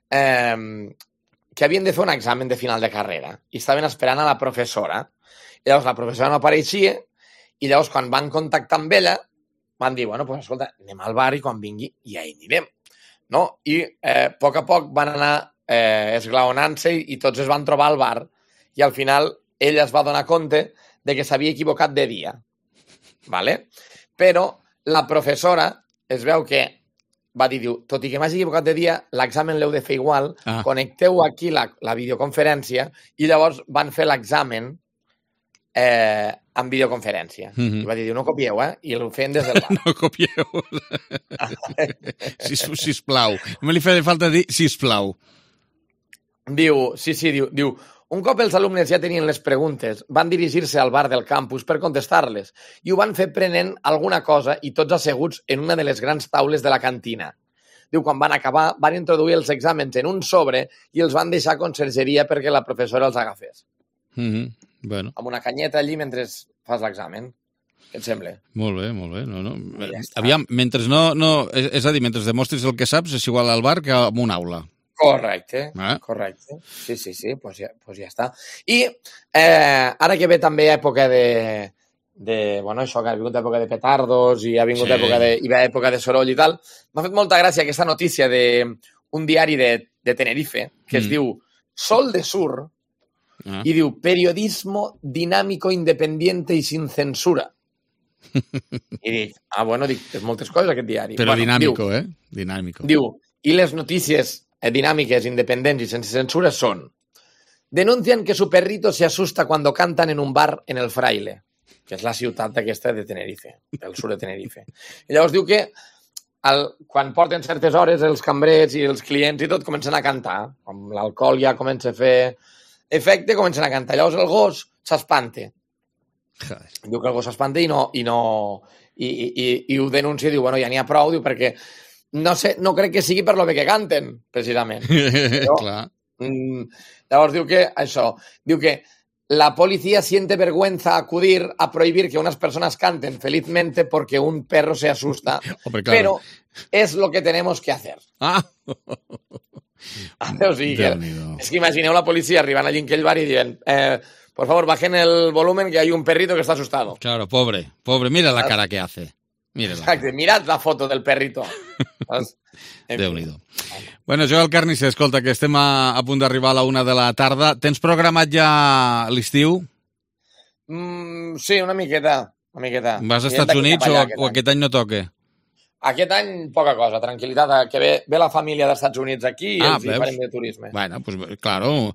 que havien de fer un examen de final de carrera i estaven esperant a la professora. I llavors la professora no apareixia i llavors quan van contactar amb ella van dir, bueno, pues escolta, anem al bar i quan vingui ja hi anirem. No? I a poc van anar esglaonant-se i tots es van trobar al bar i al final ella es va donar compte de que s'havia equivocat de dia. ¿Vale? Però la professora es veu que va dir, tot i que m'hagi equivocat de dia, l'examen l'heu de fer igual, connecteu aquí la videoconferència i llavors van fer l'examen en videoconferència. I va dir, no copieu, I el feien des del bar. No copieu. Sisplau. No li feia falta dir sisplau. Diu, un cop els alumnes ja tenien les preguntes, van dirigir-se al bar del campus per contestar-les i ho van fer prenent alguna cosa i tots asseguts en una de les grans taules de la cantina. Diu, quan van acabar, van introduir els exàmens en un sobre i els van deixar a consergeria perquè la professora els agafés. Bueno. Amb una canyeta allí mentre fas l'examen. Què et sembla? Molt bé. No. Aviam, mentre és a dir, mentre demostris el que saps, és igual al bar que a una aula. Correcte. Sí, pues ja està. I ara que ve també època bueno, això, que ha vingut època de petardos i ha vingut època de soroll i tal, m'ha fet molta gràcia aquesta notícia d'un diari de Tenerife que es diu Sol de Sur i diu periodismo dinámico, independiente y sin censura. I dic, és moltes coses aquest diari. Però dinàmico, Dinàmico. Diu, i les notícies dinámicas, independientes y sin censura son: denuncian que su perrito se asusta cuando cantan en un bar en el Fraile, que és la ciutat aquesta de Tenerife, del sud de Tenerife. I llavors diu que quan porten certes hores els cambrers i els clients i tot comencen a cantar. Amb l'alcohol ja comença a fer efecte, comencen a cantar. Llavors el gos s'espanta. Diu que el gos s'espanta i ho denuncia i diu, bueno, ja n'hi ha prou, diu, perquè no crec que sigui per lo bé que canten, precisament. Clar. Llavors diu que la policía siente vergüenza acudir a prohibir que unas personas canten felizmente porque un perro se asusta, pero es lo que tenemos que hacer. O sigui, és que imagineu la policia arribant allí en aquell bar i dient por favor, bajen el volumen que hay un perrito que está asustado. Claro, pobre, mira la cara que hace. Exacte, mirad la foto del perrito. Déu-n'hi-do. Bueno, Joel Carnicer, escolta, que estem a punt d'arribar a la 1 de la tarda. Tens programat ja l'estiu? Sí, una miqueta. Vas als Estats Units o aquest any no toca? Aquest any poca cosa, tranquil·litat, que ve la família dels Estats Units aquí i els hi farem de turisme. Bueno, pues claro,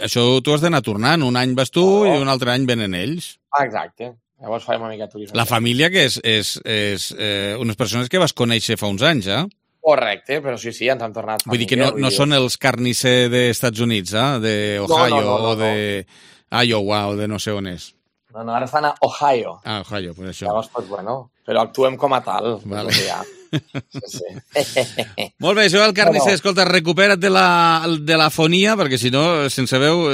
això tu has d'anar tornant. Un any vas tu i un altre any venen ells. Exacte. Llavors farem una mica de turisme. La família que és unes persones que vas conèixer fa uns anys, eh? Correcte, però sí, ens han tornat família. Vull dir que no són els carnisser dels Estats Units, d'Ohio o de Iowa o de no sé on és. No, ara estan a Ohio. Ah, Ohio, pues això. Llavors, pues bueno, però actuem com a tal. Vale. Sí. Molt bé, Joel Carnisser, escolta, recupera't de la fonia, perquè si no, sense veu,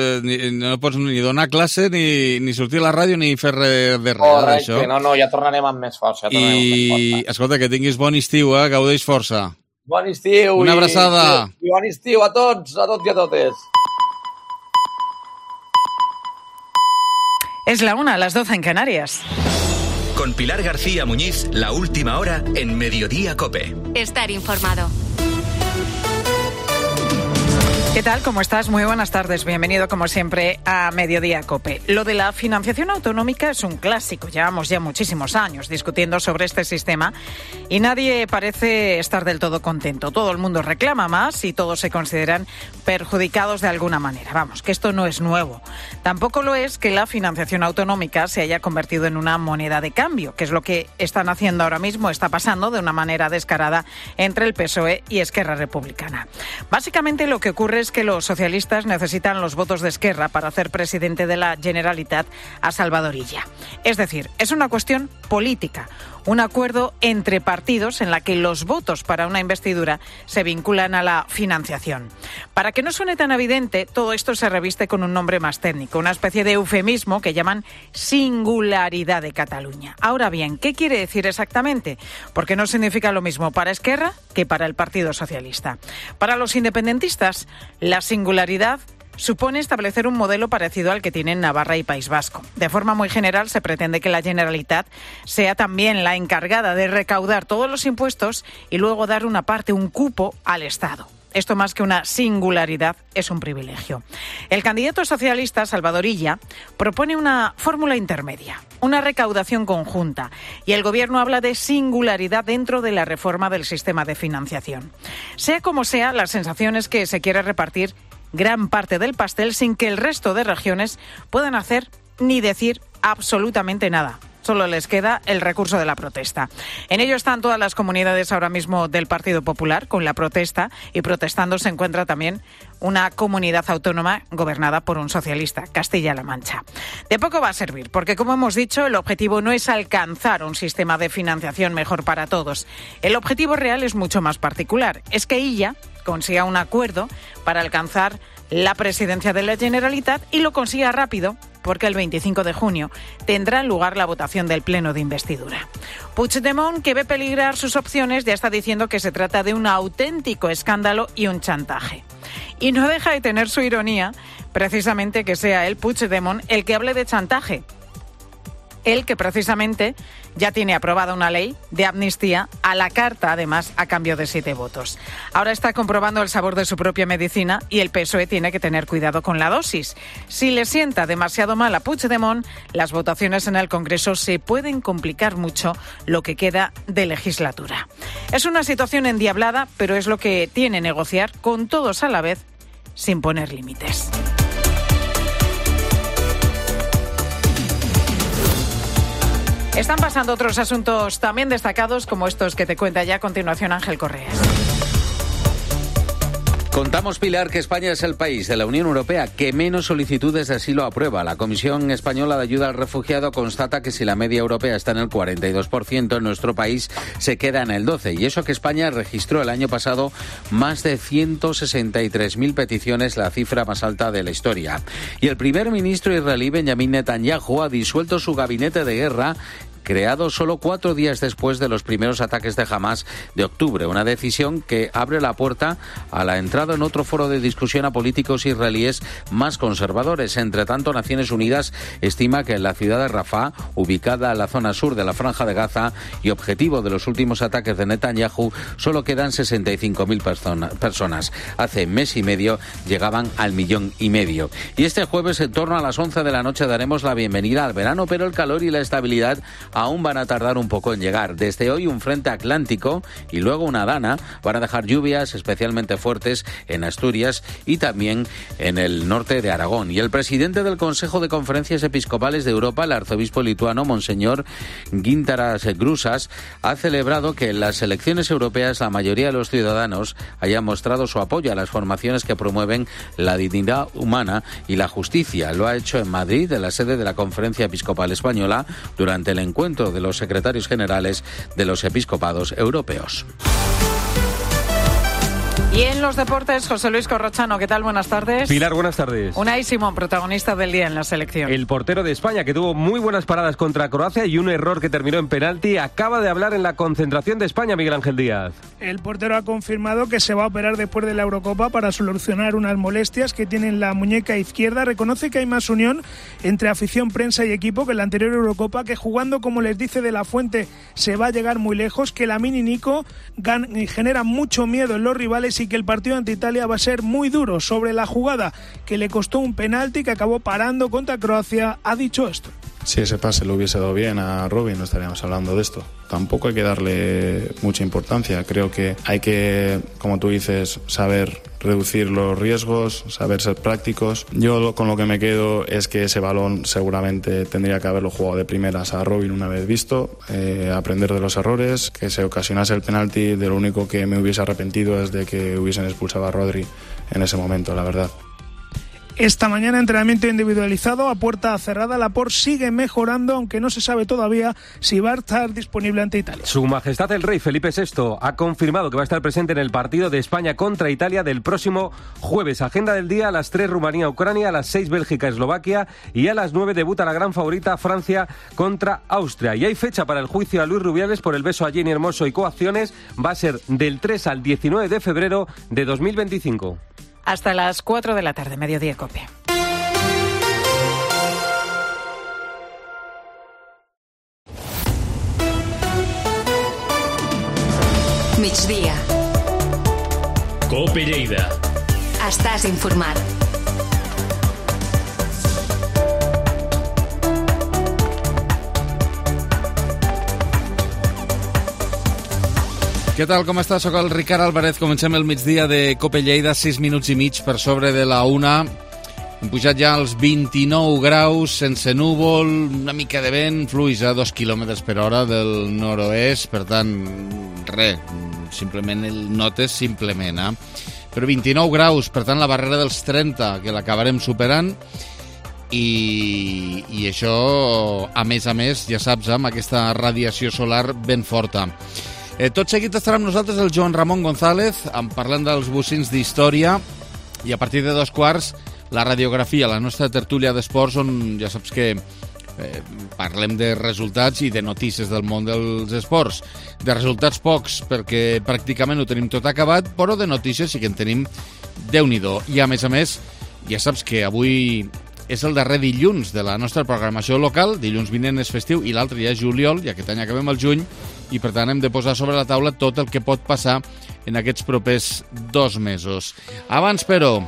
no pots ni donar classe, ni sortir a la ràdio, ni fer res de res. Correcte, no, ja tornarem amb més força. I, escolta, que tinguis bon estiu, gaudeix força. Bon estiu. Una abraçada. I bon estiu a tots i a totes. Es la 1, las 12 en Canarias. Con Pilar García Muñiz, la última hora en Mediodía COPE. Estar informado. ¿Qué tal? ¿Cómo estás? Muy buenas tardes. Bienvenido, como siempre, a Mediodía COPE. Lo de la financiación autonómica es un clásico. Llevamos ya muchísimos años discutiendo sobre este sistema y nadie parece estar del todo contento. Todo el mundo reclama más y todos se consideran perjudicados de alguna manera. Vamos, que esto no es nuevo. Tampoco lo es que la financiación autonómica se haya convertido en una moneda de cambio, que es lo que están haciendo ahora mismo, está pasando de una manera descarada entre el PSOE y Esquerra Republicana. Básicamente lo que ocurre es que los socialistas necesitan los votos de Esquerra para hacer presidente de la Generalitat a Salvador Illa. Es decir, es una cuestión política, un acuerdo entre partidos en la que los votos para una investidura se vinculan a la financiación. Para que no suene tan evidente, todo esto se reviste con un nombre más técnico, una especie de eufemismo que llaman singularidad de Cataluña. Ahora bien, ¿qué quiere decir exactamente? Porque no significa lo mismo para Esquerra que para el Partido Socialista. Para los independentistas, la singularidad supone establecer un modelo parecido al que tienen Navarra y País Vasco. De forma muy general, se pretende que la Generalitat sea también la encargada de recaudar todos los impuestos y luego dar una parte, un cupo, al Estado. Esto, más que una singularidad, es un privilegio. El candidato socialista, Salvador Illa, propone una fórmula intermedia, una recaudación conjunta, y el Gobierno habla de singularidad dentro de la reforma del sistema de financiación. Sea como sea, la sensación es que se quiere repartir gran parte del pastel sin que el resto de regiones puedan hacer ni decir absolutamente nada. Solo les queda el recurso de la protesta. En ello están todas las comunidades ahora mismo del Partido Popular con la protesta, y protestando se encuentra también una comunidad autónoma gobernada por un socialista, Castilla-La Mancha. De poco va a servir, porque como hemos dicho, el objetivo no es alcanzar un sistema de financiación mejor para todos. El objetivo real es mucho más particular. Es que Illa consiga un acuerdo para alcanzar la presidencia de la Generalitat y lo consiga rápido, porque el 25 de junio tendrá lugar la votación del pleno de investidura. Puigdemont, que ve peligrar sus opciones, ya está diciendo que se trata de un auténtico escándalo y un chantaje. Y no deja de tener su ironía, precisamente, que sea él, Puigdemont, el que hable de chantaje. Él, que precisamente ya tiene aprobada una ley de amnistía a la carta, además, a cambio de 7 votos. Ahora está comprobando el sabor de su propia medicina y el PSOE tiene que tener cuidado con la dosis. Si le sienta demasiado mal a Puigdemont, las votaciones en el Congreso se pueden complicar mucho lo que queda de legislatura. Es una situación endiablada, pero es lo que tiene negociar con todos a la vez, sin poner límites. Están pasando otros asuntos también destacados, como estos que te cuenta ya a continuación Ángel Correas. Contamos, Pilar, que España es el país de la Unión Europea que menos solicitudes de asilo aprueba. La Comisión Española de Ayuda al Refugiado constata que si la media europea está en el 42%, en nuestro país se queda en el 12%. Y eso que España registró el año pasado más de 163.000 peticiones, la cifra más alta de la historia. Y el primer ministro israelí, Benjamin Netanyahu, ha disuelto su gabinete de guerra, creado solo 4 días después de los primeros ataques de Hamás de octubre. Una decisión que abre la puerta a la entrada en otro foro de discusión a políticos israelíes más conservadores. Entre tanto, Naciones Unidas estima que en la ciudad de Rafah, ubicada en la zona sur de la Franja de Gaza y objetivo de los últimos ataques de Netanyahu, solo quedan 65.000 personas. Hace mes y medio llegaban al 1,5 millones. Y este jueves, en torno a las 11 de la noche, daremos la bienvenida al verano, pero el calor y la estabilidad aún van a tardar un poco en llegar. Desde hoy un frente atlántico y luego una dana van a dejar lluvias especialmente fuertes en Asturias y también en el norte de Aragón. Y el presidente del Consejo de Conferencias Episcopales de Europa, el arzobispo lituano Monseñor Gintaras Grusas, ha celebrado que en las elecciones europeas la mayoría de los ciudadanos hayan mostrado su apoyo a las formaciones que promueven la dignidad humana y la justicia. Lo ha hecho en Madrid, en la sede de la Conferencia Episcopal Española, durante el encuentro de los secretarios generales de los episcopados europeos. Y en los deportes, José Luis Corrochano, ¿qué tal? Buenas tardes. Pilar, buenas tardes. Unai Simón, protagonista del día en la selección. El portero de España, que tuvo muy buenas paradas contra Croacia y un error que terminó en penalti, acaba de hablar en la concentración de España, Miguel Ángel Díaz. El portero ha confirmado que se va a operar después de la Eurocopa para solucionar unas molestias que tiene en la muñeca izquierda. Reconoce que hay más unión entre afición, prensa y equipo que en la anterior Eurocopa, que jugando, como les dice De la Fuente, se va a llegar muy lejos, que Lamine y Nico genera mucho miedo en los rivales y que el partido ante Italia va a ser muy duro. Sobre la jugada que le costó un penalti que acabó parando contra Croacia, ha dicho esto. Si ese pase le hubiese dado bien a Robin, no estaríamos hablando de esto. Tampoco hay que darle mucha importancia. Creo que hay que, como tú dices, saber reducir los riesgos, saber ser prácticos. Yo con lo que me quedo es que ese balón seguramente tendría que haberlo jugado de primeras a Robin una vez visto, aprender de los errores, que se ocasionase el penalti. De lo único que me hubiese arrepentido es de que hubiesen expulsado a Rodri en ese momento, la verdad. Esta mañana entrenamiento individualizado a puerta cerrada. Laporte sigue mejorando, aunque no se sabe todavía si va a estar disponible ante Italia. Su Majestad el Rey Felipe VI ha confirmado que va a estar presente en el partido de España contra Italia del próximo jueves. Agenda del día: a las 3 Rumanía-Ucrania, a las 6 Bélgica-Eslovaquia y a las 9 debuta la gran favorita Francia contra Austria. Y hay fecha para el juicio a Luis Rubiales por el beso a Jenny Hermoso y coacciones. Va a ser del 3 al 19 de febrero de 2025. Hasta las 4 de la tarde, Mediodía COPE. Migdia. COPE Lleida. Estàs informat. Què tal, com està? Soc el Ricard Álvarez. Comencem el migdia de COPE Lleida, 6 minuts i mig per sobre de la 1. Hem pujat ja als 29 graus, sense núvol, una mica de vent, fluix a 2 km per hora del nord-oest, per tant, res, simplement el notes, simplement, Però 29 graus, per tant, la barrera dels 30, que l'acabarem superant, i això, a més, ja saps, amb aquesta radiació solar ben forta. Tot seguit estarà amb nosaltres el Joan Ramon González, parlant dels bocins d'història, i a partir de 2:15 la radiografia, la nostra tertúlia d'esports, on ja saps que parlem de resultats i de notícies del món dels esports. De resultats pocs, perquè pràcticament ho tenim tot acabat, però de notícies sí que en tenim Déu-n'hi-do. I a més, ja saps que avui és el darrer dilluns de la nostra programació local. Dilluns vinent és festiu i l'altre ja és juliol, i aquest any acabem el juny, i per tant hem de posar sobre la taula tot el que pot passar en aquests propers 2 mesos. Abans, però,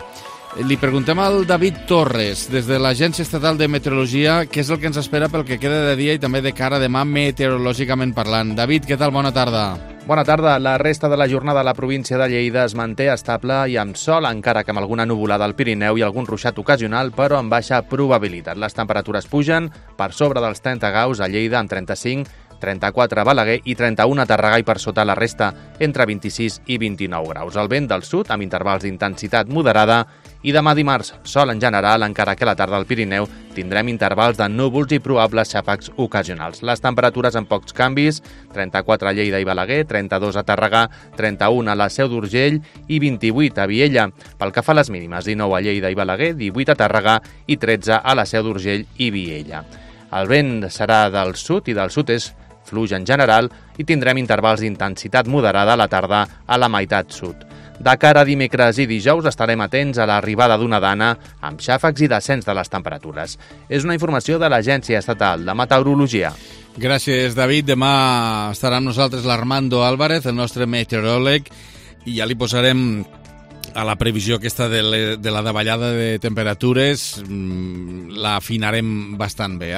li preguntem al David Torres, des de l'Agència Estatal de Meteorologia, què és el que ens espera pel que queda de dia i també de cara a demà meteorològicament parlant. David, què tal? Bona tarda. Bona tarda. La resta de la jornada a la província de Lleida es manté estable i amb sol, encara que amb alguna nuvolada al Pirineu i algun ruixat ocasional, però amb baixa probabilitat. Les temperatures pugen per sobre dels 30 graus a Lleida, amb 35, 34 a Balaguer i 31 a Tàrrega, i per sota la resta entre 26 i 29 graus. El vent del sud amb intervals d'intensitat moderada, i demà dimarts sol en general, encara que a la tarda al Pirineu tindrem intervals de núvols i probables xàfecs ocasionals. Les temperatures amb pocs canvis: 34 a Lleida i Balaguer, 32 a Tàrrega, 31 a la Seu d'Urgell i 28 a Viella. Pel que fa a les mínimes, 19 a Lleida i Balaguer, 18 a Tàrrega i 13 a la Seu d'Urgell i Viella. El vent serà del sud i del sud-est, fluix en general, i tindrem intervals d'intensitat moderada a la tarda a la meitat sud. De cara a dimecres i dijous estarem atents a l'arribada d'una dana amb xàfecs i descens de les temperatures. És una informació de l'Agència Estatal de Meteorologia. Gràcies, David. Demà estarà amb nosaltres l'Armando Álvarez, el nostre meteoròleg, i ja li posarem a la previsió aquesta de la davallada de temperatures, la afinarem bastant bé,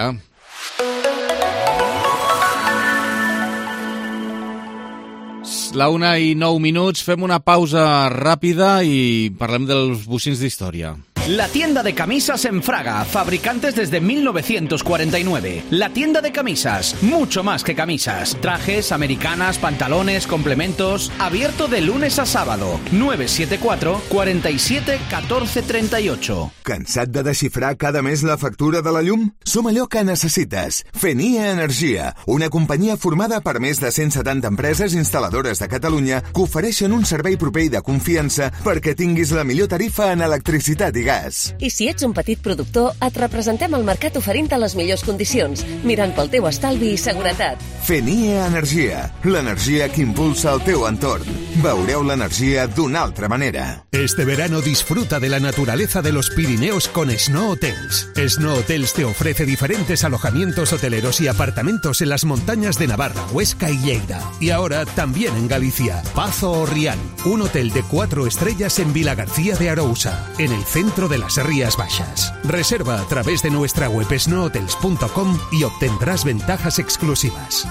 La 1:09, fem una pausa ràpida i parlem dels bocins d'història. La tienda de camisas en Fraga, fabricantes desde 1949. La tienda de camisas, mucho más que camisas. Trajes, americanas, pantalones, complementos. Abierto de lunes a sábado. 974 47 14 38. Cansat de desxifrar cada mes la factura de la llum? Som allò que necessites. Fenia Energia, una companyia formada per més de 170 empreses instal·ladores de Catalunya que ofereixen un servei proper i de confiança perquè tinguis la millor tarifa en electricitat i gas. I si ets un petit productor, et representem al mercat oferint-te les millors condicions, mirant pel teu estalvi i seguretat. Fenia Energia, l'energia que impulsa el teu entorn. Veureu l'energia d'una altra manera. Este verano disfruta de la naturaleza de los Pirineos con Snow Hotels. Snow Hotels te ofrece diferentes alojamientos hoteleros y apartamentos en las montañas de Navarra, Huesca y Lleida. Y ahora también en Galicia, Pazo o Rial, un hotel de 4 estrellas en Vilagarcía de Arousa, en el centro de las Rías Baixas. Reserva a través de nuestra web snowhotels.com y obtendrás ventajas exclusivas.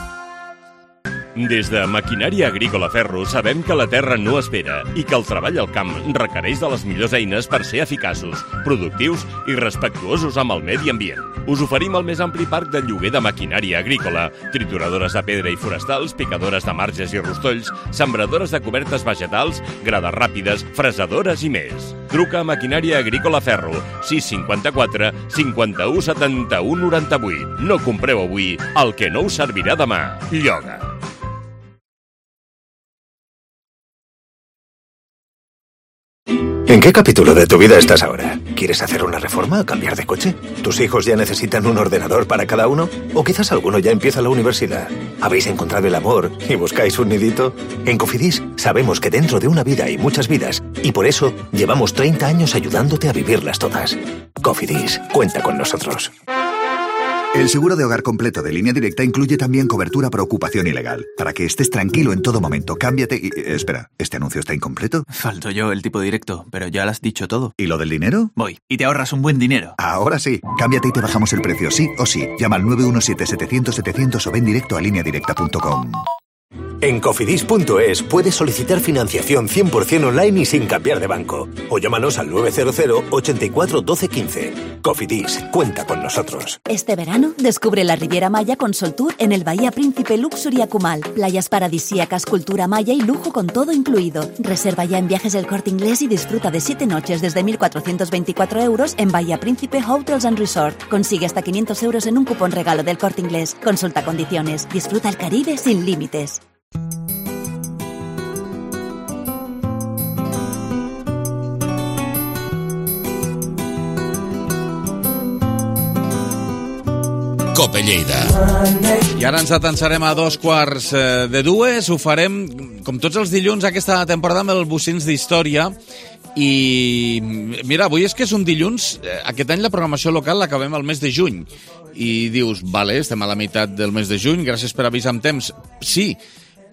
Des de Maquinària Agrícola Ferro sabem que la terra no espera i que el treball al camp requereix de les millors eines per ser eficaços, productius i respectuosos amb el medi ambient. Us oferim el més ampli parc de lloguer de maquinària agrícola, trituradores de pedra i forestals, picadores de marges i rostolls, sembradores de cobertes vegetals, grades ràpides, fresadores i més. Truca a Maquinària Agrícola Ferro, 654 51 71 98. No compreu avui el que no us servirà demà. Lloga. ¿En qué capítulo de tu vida estás ahora? ¿Quieres hacer una reforma o cambiar de coche? ¿Tus hijos ya necesitan un ordenador para cada uno? ¿O quizás alguno ya empieza la universidad? ¿Habéis encontrado el amor y buscáis un nidito? En Cofidis sabemos que dentro de una vida hay muchas vidas y por eso llevamos 30 años ayudándote a vivirlas todas. Cofidis, cuenta con nosotros. El seguro de hogar completo de Línea Directa incluye también cobertura por ocupación ilegal. Para que estés tranquilo en todo momento, cámbiate y... Espera, ¿este anuncio está incompleto? Falto yo, el tipo directo, pero ya lo has dicho todo. ¿Y lo del dinero? Voy, y te ahorras un buen dinero. Ahora sí. Cámbiate y te bajamos el precio, sí o sí. Llama al 917-700-700 o ven directo a lineadirecta.com. En Cofidis.es puedes solicitar financiación 100% online y sin cambiar de banco. O llámanos al 900 84 12 15. Cofidis, cuenta con nosotros. Este verano descubre la Riviera Maya con Soltour en el Bahía Príncipe Luxury Acumal. Playas paradisíacas, cultura maya y lujo con todo incluido. Reserva ya en Viajes El Corte Inglés y disfruta de 7 noches desde 1.424 euros en Bahía Príncipe Hotels and Resort. Consigue hasta 500 euros en un cupón regalo del Corte Inglés. Consulta condiciones. Disfruta el Caribe sin límites. Cope Lleida. I ara ens atansarem a 2:45. Ho farem, com tots els dilluns, aquesta temporada amb els bocins d'història. I mira, avui és que és un dilluns. Aquest any la programació local l'acabem al mes de juny. I dius, vale, estem a la meitat del mes de juny, gràcies per avisar amb temps. Sí,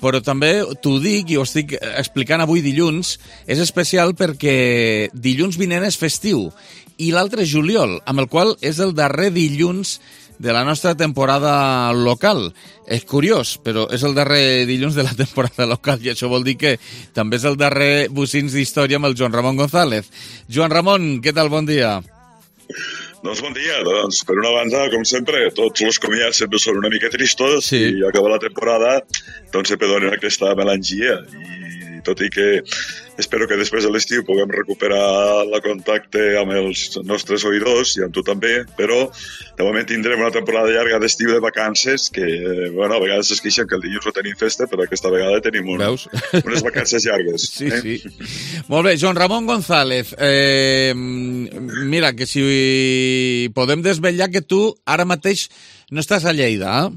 però també t'ho dic i ho estic explicant avui dilluns, és especial perquè dilluns vinent és festiu i l'altre és juliol, amb el qual és el darrer dilluns de la nostra temporada local. És curiós, però és el darrer dilluns de la temporada local i això vol dir que també és el darrer bocins d'història amb el Joan Ramon González. Joan Ramon, què tal? Bon dia. Doncs bon dia. Doncs, per una banda, com sempre, tots els comiats sempre són una mica tristos i acaba la temporada, doncs sempre donen aquesta melangia i tot i que espero que després de l'estiu puguem recuperar el contacte amb els nostres oïdors i amb tu també, però de moment tindrem una temporada llarga d'estiu de vacances que, bueno, a vegades es queixen que el dilluns no tenim festa, però aquesta vegada tenim unes vacances llargues. Sí, sí. Molt bé, Joan Ramon González, mira, que si podem desvetllar que tu ara mateix no estàs a Lleida,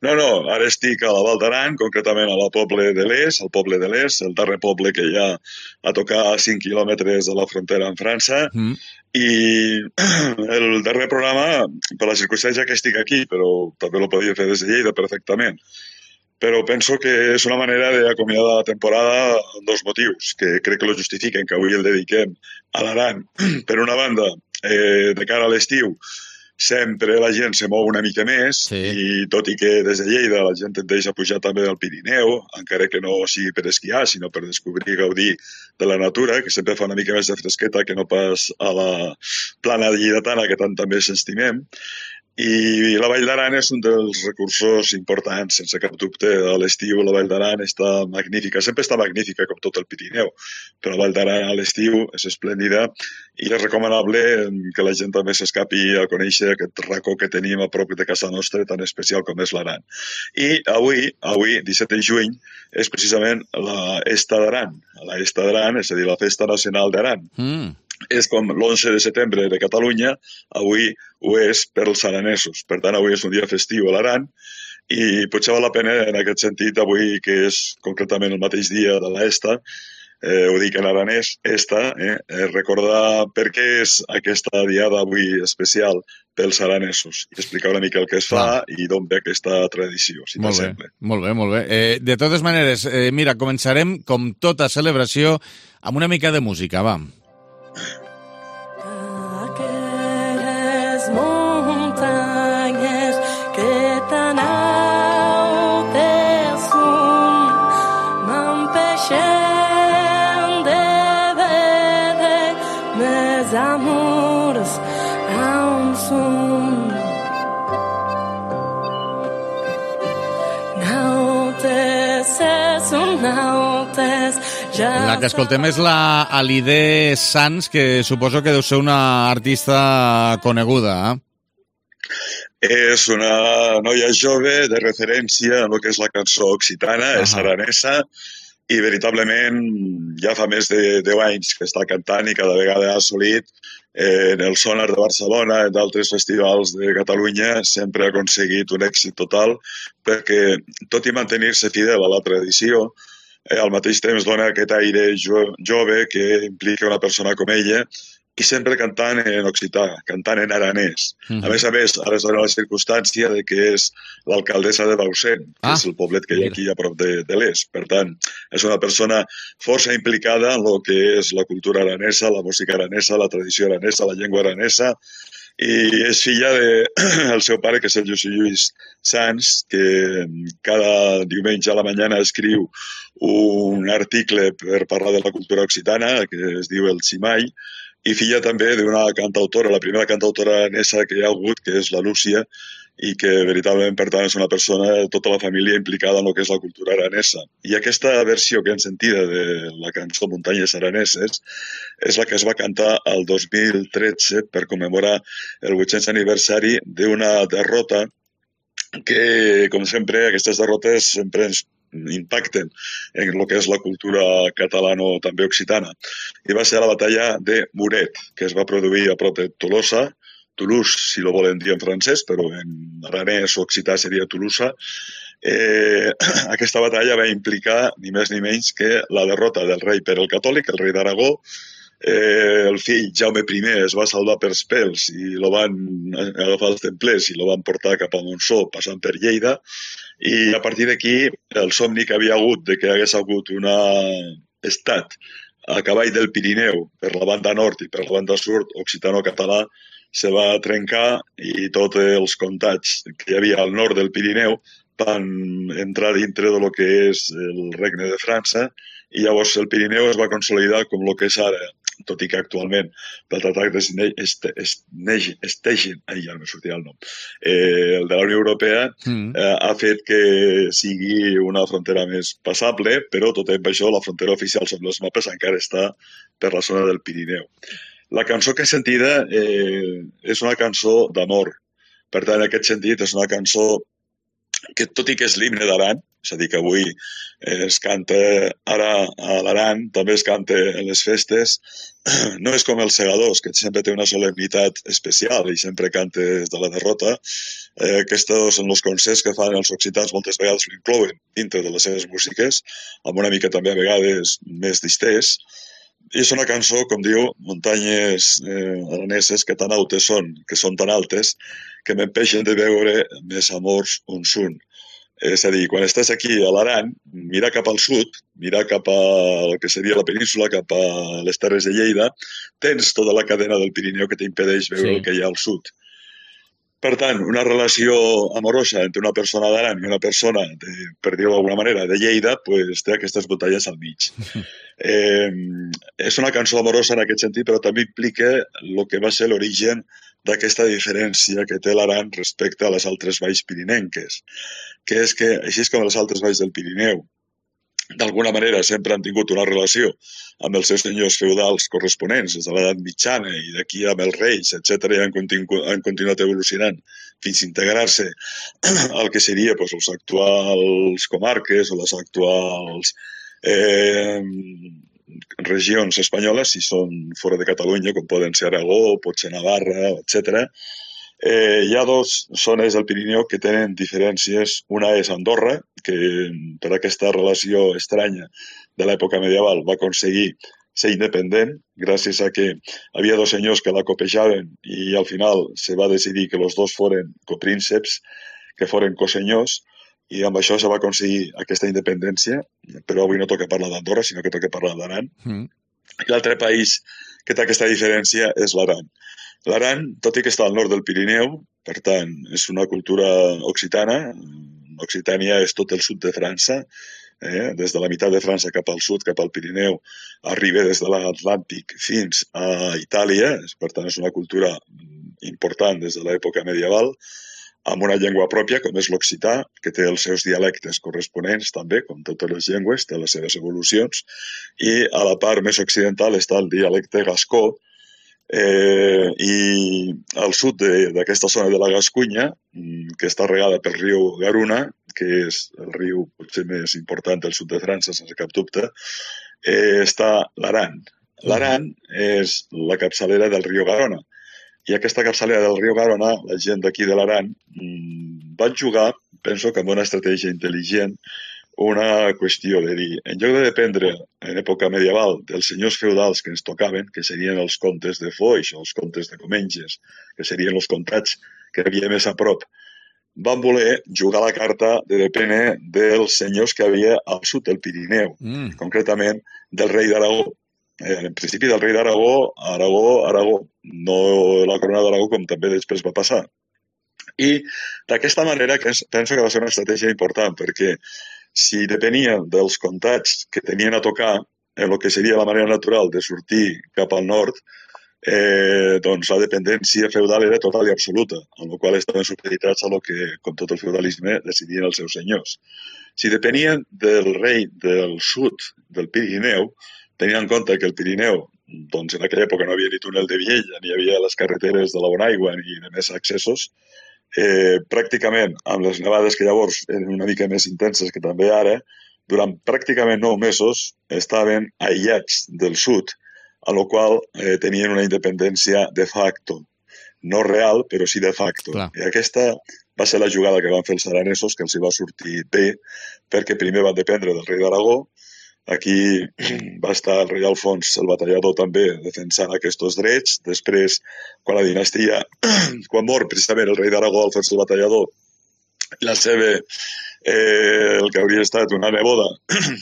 No, ara estic a la Val d'Aran, concretament a la Poble de l'Est, el poble de l'Est, el darrer poble que hi ha a tocar a 5 quilòmetres de la frontera amb França, i el darrer programa, per la circumstància que estic aquí, però també lo podia fer des de Lleida perfectament, però penso que és una manera d'acomiadar la temporada amb dos motius, que crec que lo justifiquen, que avui el dediquem a l'Aran. Per una banda, de cara a l'estiu, sempre la gent se mou una mica més i tot i que des de Lleida la gent tendeix a pujar també al Pirineu, encara que no sigui per esquiar, sinó per descobrir i gaudir de la natura, que sempre fa una mica més de fresqueta que no pas a la plana lleidatana que tant també s'estimem. I la Vall d'Aran és un dels recursos importants, sense cap dubte. A l'estiu la Vall d'Aran està magnífica, sempre està magnífica com tot el Pirineu, però la Vall d'Aran a l'estiu és esplèndida i és recomanable que la gent també s'escapi a conèixer aquest racó que tenim a prop de casa nostra tan especial com és l'Aran. I avui, 17 de juny, és precisament l'Esta d'Aran. L'Esta d'Aran, és a dir, la Festa Nacional d'Aran. És com l'11 de setembre de Catalunya, avui ho és per als aranesos. Per tant, avui és un dia festiu a l'Aran i potser val la pena en aquest sentit, avui que és concretament el mateix dia de l'Esta, ho dic en aranès, recordar per què és aquesta diada avui especial pels aranesos i explicar una mica el que es fa i d'on ve aquesta tradició, si t'assembla. Molt bé. De totes maneres, mira, començarem, com tota celebració, amb una mica de música, va. Aquelles muntanyes que tan altes són m'empeixen de veure més amors on són. Nautes són nautes. La que escoltem és la Halide Sans, que suposo que deu ser una artista coneguda. És una noia jove de referència en el que és la cançó occitana, és aranesa, i veritablement ja fa més de 10 anys que està cantant i cada vegada ha assolit en el Sonar de Barcelona, en d'altres festivals de Catalunya, sempre ha aconseguit un èxit total, perquè tot i mantenir-se fidel a la tradició, al mateix temps dona aquest aire jove que implica una persona com ella i sempre cantant en occità, cantant en aranès. A més, ara es dona la circumstància de que és l'alcaldessa de Bausen, que és el poblet que hi ha aquí a prop de l'est. Per tant, és una persona força implicada en el que és la cultura aranesa, la música aranesa, la tradició aranesa, la llengua aranesa, i és filla del seu pare, que és el José Lluís Sans, que cada diumenge a la mañana escriu un article per parlar de la cultura occitana, que es diu El Ximai, i filla també d'una cantautora, la primera cantautora aranesa que hi ha hagut, que és la Lúcia, i que veritablement, per tant, és una persona, tota la família implicada en el que és la cultura aranesa. I aquesta versió que hem sentit de la cançó Muntanyes Araneses és la que es va cantar el 2013 per commemorar el 800 aniversari d'una derrota que, com sempre, aquestes derrotes sempre ens impacten en el que és la cultura catalano també occitana. I va ser la batalla de Muret, que es va produir a prop de Tolosa, Toulouse, si lo volen dir en francès, però en aranès o occità seria Toulouse. Aquesta batalla va implicar ni més ni menys que la derrota del rei Pere el Catòlic, el rei d'Aragó. El fill Jaume I es va salvar per pèls i lo van agafar els templers i lo van portar cap a Montsó, passant per Lleida. I a partir d'aquí, el somni que havia hagut de que hagués hagut un estat a cavall del Pirineu per la banda nord i per la banda sud, occitano-català, se va trencar i tots els comtats que hi havia al nord del Pirineu van entrar dintre del que és el Regne de França i llavors el Pirineu es va consolidar com el que és ara, tot i que actualment pel Tractat d'Stegen, ja no me sortia el nom, el de la Unió Europea, ha fet que sigui una frontera més passable, però tot i això la frontera oficial sobre els mapes encara està per la zona del Pirineu. La cançó que he sentida és una cançó d'amor. Per tant, en aquest sentit, és una cançó que, tot i que és l'himne d'Aran, és a dir, que avui es canta ara a l'Aran, també es canta en les festes, no és com els segadors, que sempre té una solemnitat especial i sempre canta des de la derrota. Aquests són els concerts que fan els occitans, moltes vegades l'inclouen dintre de les seves músiques, amb una mica també a vegades més distès. I és una cançó, com diu, Muntanyes araneses, que tan altes són, que són tan altes, que m'empeixen de veure més amors on són. És a dir, quan estàs aquí a l'Aran, mira cap al sud, mira cap a el que seria la península, cap a les Terres de Lleida, tens tota la cadena del Pirineu que t'impedeix veure el que hi ha al sud. Per tant, una relació amorosa entre una persona d'Aran i una persona, per dir-ho d'alguna manera, de Lleida, pues, té aquestes batalles al mig. És una cançó amorosa en aquest sentit, però també implica el que va ser l'origen d'aquesta diferència que té l'Aran respecte a les altres valls pirinenques, que és que, així com les altres valls del Pirineu, d'alguna manera sempre han tingut una relació amb els seus senyors feudals corresponents des de l'edat mitjana i d'aquí amb els reis, etc., i han continuat evolucionant fins a integrar-se al que seria pues, les actuals comarques o les actuals regions espanyoles, si són fora de Catalunya, com poden ser Aragó, pot ser Navarra, etc. Hi ha dues zones del Pirineu que tenen diferències. Una és Andorra, que per aquesta relació estranya de l'època medieval va aconseguir ser independent gràcies a que havia dos senyors que la copejaven i al final se va decidir que els dos foren coprínceps, que foren cosenyors, i amb això se va aconseguir aquesta independència, però avui no toca parlar d'Andorra, sinó que toca parlar d'Aran. I l'altre país que té aquesta diferència és l'Aran. L'Aran, tot i que està al nord del Pirineu, per tant, és una cultura occitana. Occitània és tot el sud de França, des de la meitat de França cap al sud, cap al Pirineu, arriba des de l'Atlàntic fins a Itàlia, per tant és una cultura important des de l'època medieval, amb una llengua pròpia, com és l'occità, que té els seus dialectes corresponents també, com totes les llengües, té les seves evolucions, i a la part més occidental està el dialecte gascó, i al sud d'aquesta zona de la Gascunya, que està regada pel riu Garuna, que és el riu potser més important del sud de França, sense cap dubte, està l'Aran. L'Aran és la capçalera del riu Garona. I aquesta capçalera del riu Garona, la gent d'aquí de l'Aran, van jugar, penso que amb una estratègia intel·ligent, una qüestió de dir, en lloc de dependre en època medieval dels senyors feudals que ens tocaven, que serien els comtes de Foix o els comtes de Comenges, que serien els comtats que havia més a prop, van voler jugar la carta de dependre dels senyors que havia al sud del Pirineu, concretament del rei d'Aragó. En principi del rei d'Aragó, Aragó, no la corona d'Aragó com també després va passar. I d'aquesta manera penso que va ser una estratègia important, perquè si depenien dels comtats que tenien a tocar en el que seria la manera natural de sortir cap al nord, doncs la dependència feudal era total i absoluta, amb la qual estaven supeditats a lo que, com tot el feudalisme, decidien els seus senyors. Si depenien del rei del sud, del Pirineu, tenint en compte que el Pirineu, doncs en aquella època no havia ni túnel de Viella, ni hi havia les carreteres de la Bonaigua, ni de més accessos, pràcticament amb les nevades que llavors eren una mica més intenses que també ara, durant pràcticament 9 mesos estaven aïllats del sud, a la qual tenien una independència de facto. No real, però sí de facto. Clar. I aquesta va ser la jugada que van fer els aranesos, que els hi va sortir bé, perquè primer van dependre del rei d'Aragó. Aquí va estar el rei Alfons el Batallador també defensant aquests drets. Després, quan la dinastia, quan mor precisament el rei d'Aragó, Alfons el Batallador, la seva, el que hauria estat una neboda,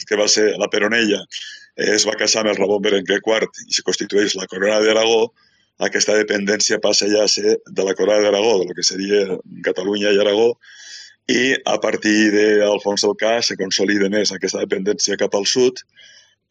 que va ser la Peronella, es va casar amb el Ramon Berenguer IV i se constitueix la corona d'Aragó. Aquesta dependència passa ja a ser de la corona d'Aragó, de lo que seria Catalunya i Aragó, i a partir d'Alfons el Ca se consolida més aquesta dependència cap al sud.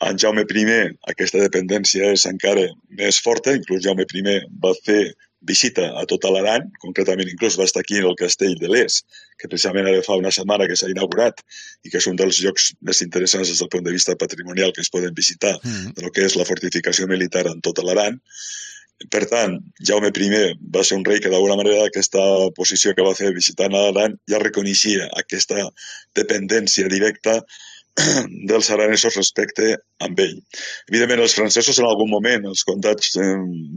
En Jaume I aquesta dependència és encara més forta, inclús Jaume I va fer visita a tota l'Aran, concretament inclús va estar aquí en el castell de Les, que precisament ara fa una setmana que s'ha inaugurat i que és un dels llocs més interessants des del punt de vista patrimonial que es poden visitar de lo que és la fortificació militar en tota l'Aran. Per tant, Jaume I va ser un rei que d'alguna manera aquesta posició que va fer visitant a l'Aran ja reconeixia aquesta dependència directa dels aranesos respecte amb ell. Evidentment, els francesos en algun moment, els comtats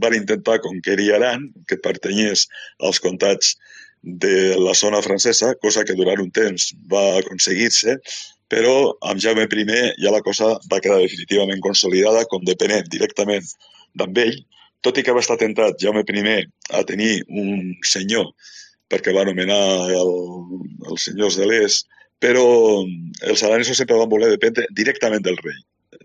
van intentar conquerir Aran, que pertanyés als comtats de la zona francesa, cosa que durant un temps va aconseguir-se, però amb Jaume I ja la cosa va quedar definitivament consolidada com depenent directament d'amb ell, tot i que va estar tentat Jaume I a tenir un senyor, perquè va anomenar els senyors de l'Est, però els aranesos sempre van voler dependre directament del rei.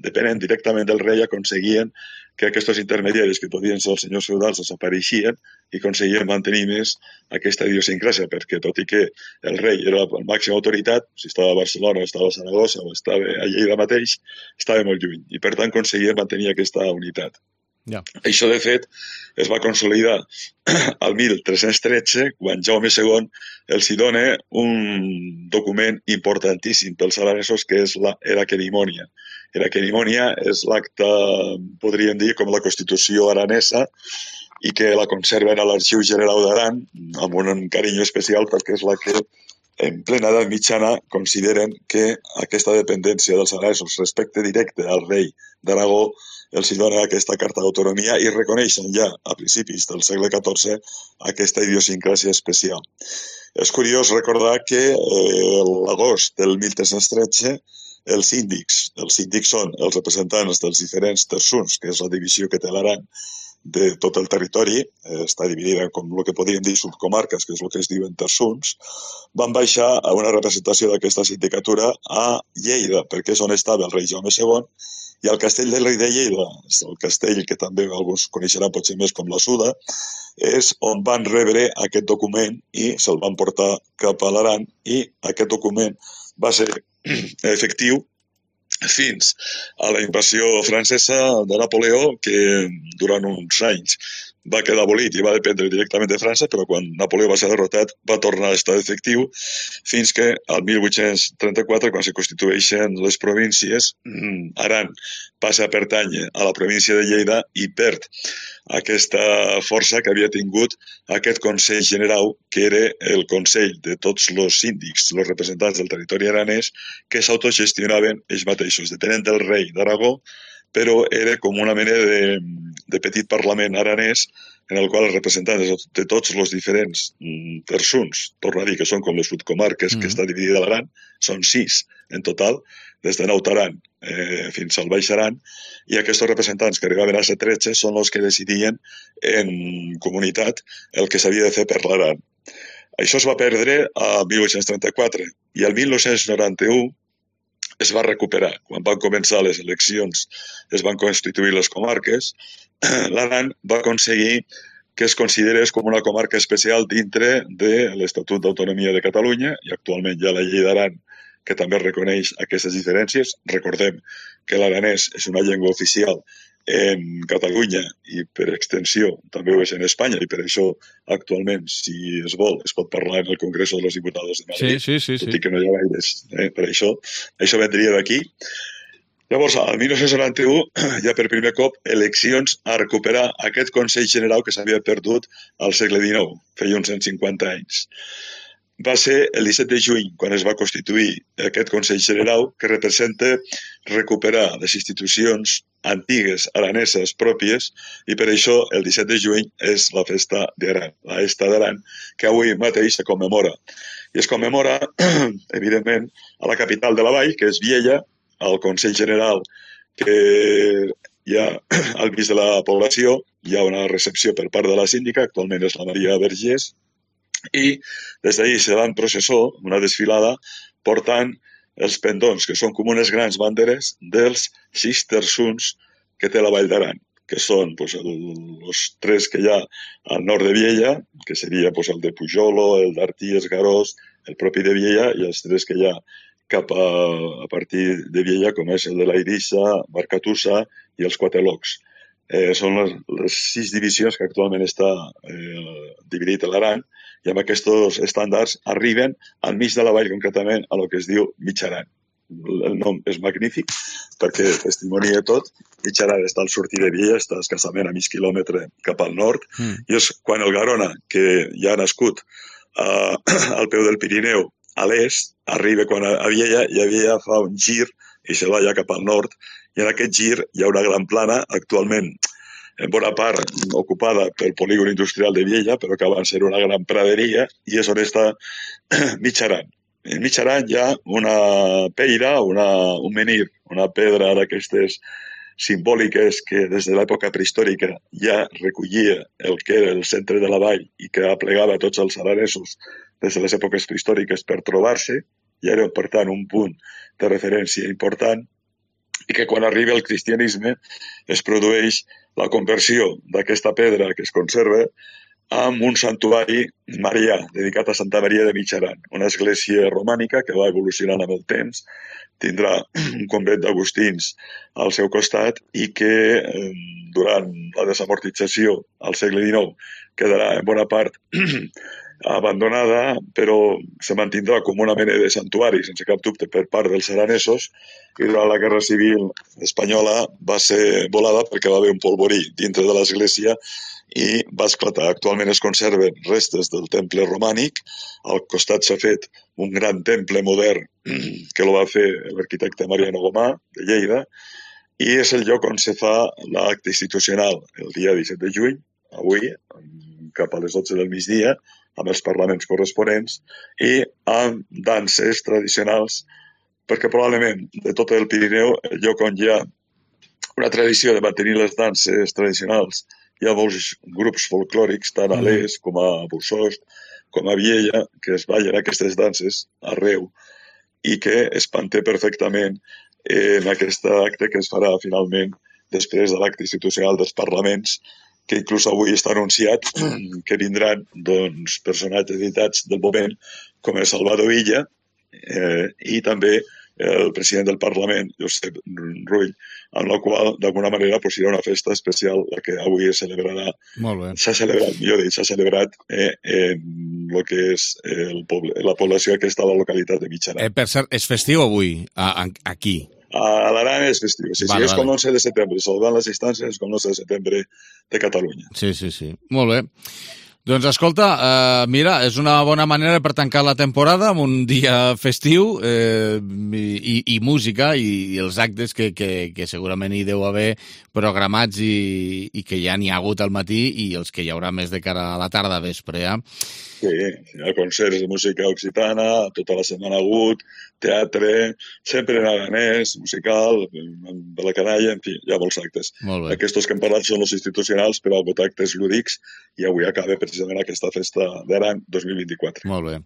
Depenent directament del rei aconseguien que aquests intermediaris que podien ser els senyors feudals desapareixien i aconseguien mantenir més aquesta idiosincràsia, perquè tot i que el rei era la màxima autoritat, si estava a Barcelona, estava a Saragossa o estava a Lleida mateix, estava molt lluny i per tant aconseguien mantenir aquesta unitat. Ja. Això, de fet, es va consolidar al 1313, quan Jaume II els hi dona un document importantíssim pels aranesos, que és la querimònia. La querimònia és l'acte, podríem dir, com la Constitució aranesa, i que la conserven a l'Arxiu General d'Aran, amb un carinyo especial, perquè és la que, en plena edat mitjana, consideren que aquesta dependència dels aranesos respecte directe al rei d'Aragó els hi dona aquesta carta d'autonomia i reconeixen ja a principis del segle XIV aquesta idiosincràsia especial. És curiós recordar que l'agost del 1313 els síndics són els representants dels diferents terçons, que és la divisió que té l'Aran de tot el territori, està dividida com el que podríem dir subcomarques, que és el que es diuen terçons, van baixar a una representació d'aquesta sindicatura a Lleida, perquè és on estava el rei Jaume II, i al castell del rei de Lleida, el castell que també alguns coneixeran potser més com la Suda, és on van rebre aquest document i se'l van portar cap a l'Aran, i aquest document va ser efectiu fins a la invasió francesa de Napoleó, que durant uns anys va quedar abolit i va dependre directament de França, però quan Napoleó va ser derrotat va tornar a estar efectiu fins que al 1834, quan se constitueixen les províncies, Aran passa a pertànyer a la província de Lleida i perd aquesta força que havia tingut aquest Consell General, que era el consell de tots els síndics, els representants del territori aranès, que s'autogestionaven ells mateixos, depenent del rei d'Aragó, però era com una mena de petit parlament aranès en el qual els representants de tots els diferents terçons, torno a dir que són com les subcomarques que està dividida l'Aran, són 6 en total, des de Naut Aran fins al Baix Aran, i aquests representants que arribaven a ser 13 són els que decidien en comunitat el que s'havia de fer per l'Aran. Això es va perdre a 1834 i al 1991 es va recuperar. Quan van començar les eleccions, es van constituir les comarques, l'Aran va aconseguir que es considerés com una comarca especial dintre de l'Estatut d'Autonomia de Catalunya, i actualment hi ha la llei d'Aran, que també reconeix aquestes diferències. Recordem que l'aranès és una llengua oficial en Catalunya i per extensió també ho és en Espanya, i per això actualment, si es vol, es pot parlar en el Congreso de los Diputados de Madrid, tot i que no hi ha gaires. Per això vendria d'aquí. Llavors, al 1991, ja per primer cop, eleccions a recuperar aquest Consell General que s'havia perdut al segle XIX, feia uns 150 anys. Va ser el 17 de juny quan es va constituir aquest Consell General, que representa recuperar les institucions antigues araneses pròpies, i per això el 17 de juny és la festa d'Aran, la Festa d'Aran, que avui mateix se commemora. I es commemora, evidentment, a la capital de la vall, que és Viella, al Consell General, que hi ha al mig de la població, hi ha una recepció per part de la síndica, actualment és la Maria Vergés, i des d'ahir se va en processó, una desfilada, portant els pendons, que són com unes grans banderes dels 6 terçons que té la Vall d'Aran, que són els 3 que hi ha al nord de Viella, que seria el de Pujolo, el d'Artí, Esgarós, el propi de Viella, i els 3 que hi ha cap a partir de Viella, com és el de l'Airissa, Barcatussa i els Quatelocs. Són les 6 divisions que actualment està dividit a l'Aran, i amb aquests estàndards arriben al mig de la vall, concretament, a lo que es diu Mig Aran. El nom és magnífic perquè testimonia tot. Mig Aran està al sortir de Viella, està escassament a mig quilòmetre cap al nord, i és quan el Garona, que ja ha nascut al peu del Pirineu, a l'est, arriba quan a Viella, i a Viella fa un gir i se va ja cap al nord, i en aquest gir hi ha una gran plana, actualment en bona part ocupada pel polígon industrial de Viella, però que abans era una gran praderia, i és on està Mig Aran. En Mig Aran hi ha una peira, un menhir, una pedra d'aquestes simbòliques que des de l'època prehistòrica ja recollia el que era el centre de la vall i que aplegava tots els aranesos des de les èpoques prehistòriques per trobar-se, i era, per tant, un punt de referència important, i que quan arriba el cristianisme es produeix la conversió d'aquesta pedra que es conserva amb un santuari marià, dedicat a Santa Maria de Mitjaran, una església romànica que va evolucionant amb el temps, tindrà un convent d'agustins al seu costat i que durant la desamortització al segle XIX quedarà en bona part abandonada, però se mantindrà com una mena de santuari, sense cap dubte, per part dels aranesos, i durant la Guerra Civil espanyola va ser volada perquè va haver un polvorí dintre de l'església i va esclatar. Actualment es conserven restes del temple romànic, al costat s'ha fet un gran temple modern que el va fer l'arquitecte Mariano Gomà, de Lleida, i és el lloc on se fa l'acte institucional el dia 17 de juny, avui, cap a les 12 del migdia, amb els parlaments corresponents i amb danses tradicionals, perquè probablement de tot el Pirineu, el lloc on hi ha una tradició de mantenir les danses tradicionals, hi ha molts grups folclòrics, tant a l'Es com a Bussost, com a Viella, que es ballen aquestes danses arreu i que es manté perfectament en aquest acte que es farà finalment després de l'acte institucional dels parlaments, que inclús avui està anunciat que vindran personatges editats del moment com el Salvador Illa i també el president del Parlament, Josep Rull, amb la qual, d'alguna manera, serà una festa especial la que avui es celebrarà. Molt bé. S'ha celebrat en el que és la població aquesta de la localitat de Mitjaran. Per cert, és festiu avui, aquí? A l'Aran és festiu, sí, és com l'11 de setembre, salvant les instàncies, és com l'11 de setembre de Catalunya. Sí. Molt bé. Doncs escolta, mira, és una bona manera per tancar la temporada amb un dia festiu i música i els actes que segurament hi deu haver programats i que ja n'hi ha hagut al matí i els que hi haurà més de cara a la tarda vespre, ja? Sí, hi ha concerts de música occitana, tota la setmana ha hagut, teatre, sempre en aranès, musical, de la canalla, en fi, hi ha molts actes. Aquests que hem parlat són els institucionals, però hi ha hagut actes lúdics i avui acaba precisament aquesta festa d'Aran 2024. Molt bé.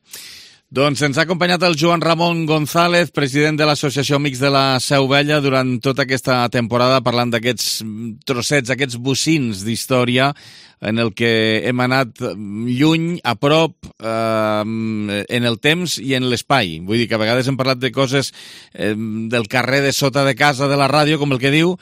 Doncs ens ha acompanyat el Joan Ramon González, president de l'Associació Amics de la Seu Vella, durant tota aquesta temporada, parlant d'aquests trossets, aquests bocins d'història en el que hem anat lluny, a prop, en el temps i en l'espai. Vull dir que a vegades hem parlat de coses del carrer de sota de casa de la ràdio, com el que diu,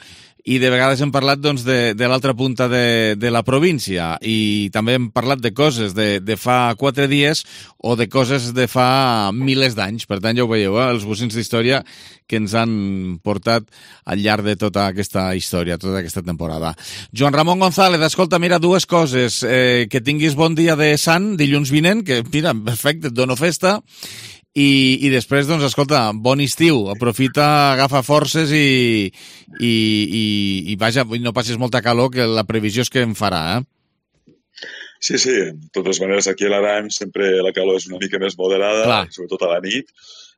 i de vegades hem parlat de l'altra punta de la província i també hem parlat de coses de fa 4 dies o de coses de fa milers d'anys. Per tant, ja ho veieu, els bocins d'història que ens han portat al llarg de tota aquesta història, tota aquesta temporada. Joan Ramon González, escolta, mira, 2 coses. Que tinguis bon dia de Sant, dilluns vinent, que, mira, perfecte, et dono festa. I després, doncs, escolta, bon estiu, aprofita, agafa forces i vaja, no passis molta calor, que la previsió és que en farà, Sí, de totes maneres, aquí a l'Aran sempre la calor és una mica més moderada, sobretot a la nit,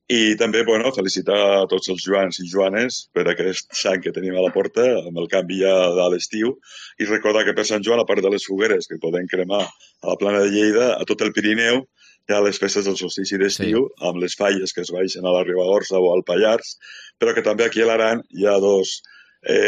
i també, felicitar a tots els joans i joanes per aquest sant que tenim a la porta, amb el canvi ja de l'estiu, i recordar que per Sant Joan, a part de les fogueres que podem cremar a la plana de Lleida, a tot el Pirineu, hi ha les festes del solstici d'estiu, amb les falles que es baixen a la Ribagorça o al Pallars, però que també aquí a l'Aran hi ha 2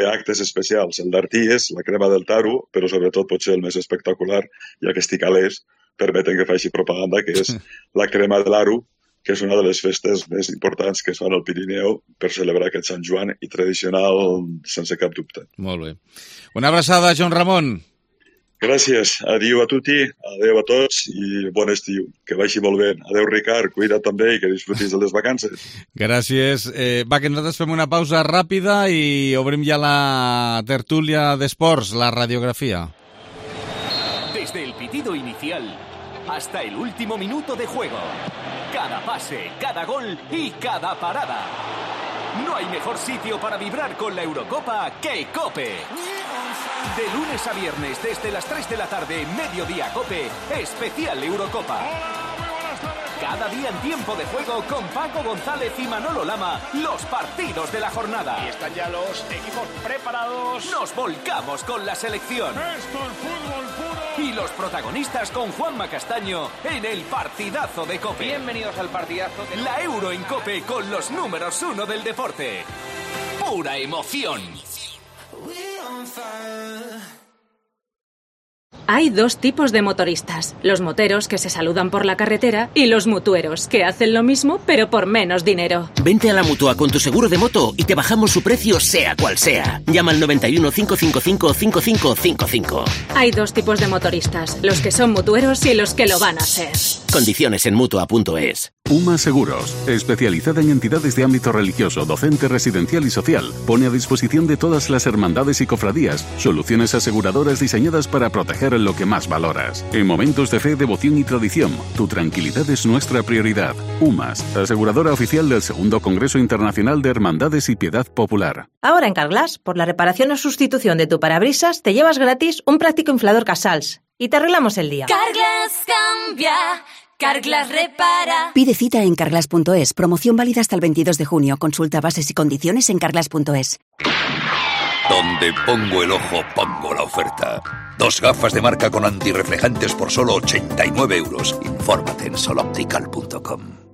actes especials, el d'Arties, la crema del taro, però sobretot potser el més espectacular, ja que estic a l'est, permeten que faci propaganda, que és la crema de l'Aro, que és una de les festes més importants que es fan al Pirineu per celebrar aquest Sant Joan i tradicional sense cap dubte. Molt bé. Una abraçada, Joan Ramon. Gràcies. Adiu a tutti, adeu a tots i bon estiu. Que vagi molt bé. Adeu, Ricard. Cuida't també i que disfrutis de les vacances. Gràcies. Va, que nosaltres fem una pausa ràpida i obrim ja la tertúlia d'esports, la radiografia. Desde el pitido inicial hasta el último minuto de juego. Cada pase, cada gol y cada parada. No hay mejor sitio para vibrar con la Eurocopa que COPE. De lunes a viernes desde las 3 de la tarde, Mediodía COPE, especial Eurocopa. Cada día en tiempo de juego con Paco González y Manolo Lama, los partidos de la jornada. Y están ya los equipos preparados. Nos volcamos con la selección. Esto es fútbol puro. Y los protagonistas con Juanma Castaño en el partidazo de COPE. Bienvenidos al partidazo de la Euro en COPE con los números 1 del deporte. Pura emoción. Hay dos tipos de motoristas, los moteros que se saludan por la carretera y los mutueros que hacen lo mismo pero por menos dinero. Vente a la Mutua con tu seguro de moto y te bajamos su precio sea cual sea. Llama al 91 555 5555. Hay dos tipos de motoristas, los que son mutueros y los que lo van a ser. Condiciones en Mutua.es. UMA Seguros, especializada en entidades de ámbito religioso, docente, residencial y social, pone a disposición de todas las hermandades y cofradías soluciones aseguradoras diseñadas para proteger lo que más valoras. En momentos de fe, devoción y tradición, tu tranquilidad es nuestra prioridad. UMAS, aseguradora oficial del Segundo Congreso Internacional de Hermandades y Piedad Popular. Ahora en Carglass, por la reparación o sustitución de tu parabrisas, te llevas gratis un práctico inflador Casals y te arreglamos el día. Carglass cambia, Carglass repara. Pide cita en carglass.es. Promoción válida hasta el 22 de junio. Consulta bases y condiciones en carglass.es. Donde pongo el ojo, pongo la oferta. 2 gafas de marca con antirreflejantes por solo 89 euros. Infórmate en soloptical.com.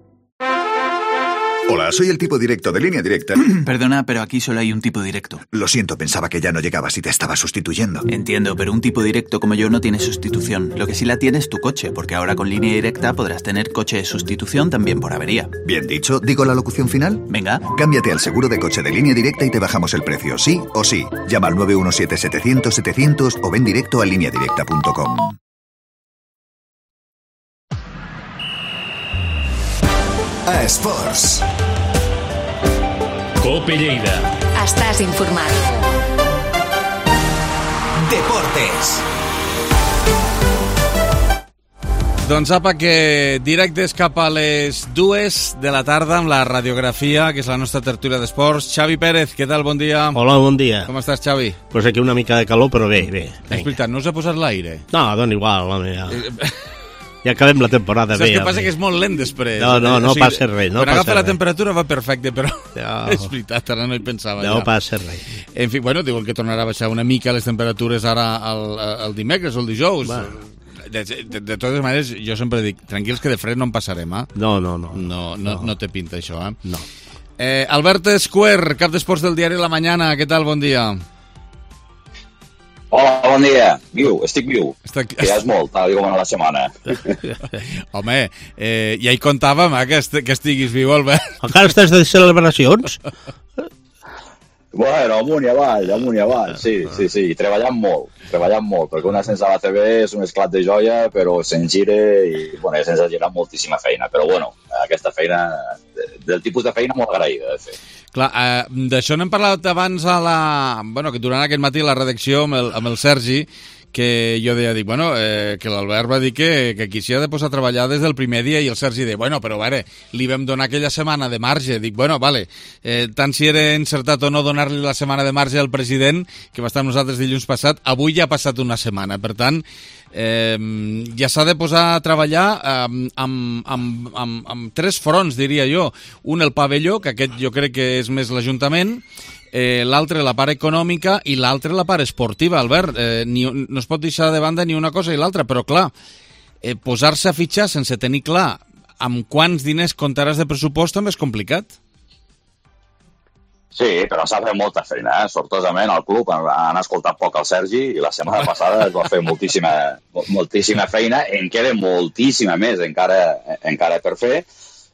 Hola, soy el tipo directo de Línea Directa. Perdona, pero aquí solo hay un tipo directo. Lo siento, pensaba que ya no llegabas y te estaba sustituyendo. Entiendo, pero un tipo directo como yo no tiene sustitución. Lo que sí la tiene es tu coche, porque ahora con Línea Directa podrás tener coche de sustitución también por avería. Bien dicho, ¿digo la locución final? Venga. Cámbiate al seguro de coche de Línea Directa y te bajamos el precio, sí o sí. Llama al 917-700-700 o ven directo a lineadirecta.com. A Esports. Cope Lleida. Estàs informat. Deportes. Doncs apa, que directes cap a les 2 de la tarda amb la radiografia, que és la nostra tertúlia d'esports. Xavi Pérez, què tal? Bon dia. Hola, bon dia. Com estàs, Xavi? Pues aquí una mica de calor, però bé, bé. És veritat, no us ha posat l'aire? No, dona igual, home, ja. Ja acabem la temporada bé. Saps què passa? Que és molt lent després. No passa res. Quan agafa la temperatura va perfecte, però és veritat, ara no hi pensava. No passa res. En fi, bueno, diuen que tornarà a baixar una mica les temperatures ara el dimecres o el dijous. De totes maneres, jo sempre dic, tranquils que de fred no en passarem, eh? No té pinta això, eh? No. Albert Escuer, cap d'esports del diari La Mañana, què tal? Bon dia. Hola, bon dia. Estic viu. Que ja és molt, tal com a la setmana. Home, ja hi comptàvem, que estiguis viu, Albert. Encara estàs de celebracions? Bueno, amunt i avall, sí. Treballant molt, perquè una sense l'ACB és un esclat de joia, però se'n gira i, bueno, sense girar moltíssima feina. Però, bueno, aquesta feina, del tipus de feina molt agraïda de fer. Clar, d'això n'hem parlat abans que durant aquest matí a la redacció amb el Sergi, que jo dic, que l'Albert va dir que aquí s'hi ha de posar a treballar des del primer dia, i el Sergi deia, però a veure, li vam donar aquella setmana de marge. Dic, vale, tant si era encertat o no donar-li la setmana de marge al president, que va estar amb nosaltres dilluns passat, avui ja ha passat una setmana, per tant, ja s'ha de posar a treballar amb 3 fronts, diria jo. Un, el pavelló, que aquest jo crec que és més l'Ajuntament, l'altre la part econòmica i l'altre la part esportiva, Albert. No es pot deixar de banda ni una cosa ni l'altra, però clar, posar-se a fitxar sense tenir clar amb quants diners comptaràs de pressupost també és complicat. Sí, però s'ha fet molta feina, Sortosament al club han escoltat poc el Sergi i la setmana passada es va fer moltíssima feina, en queda moltíssima més encara per fer,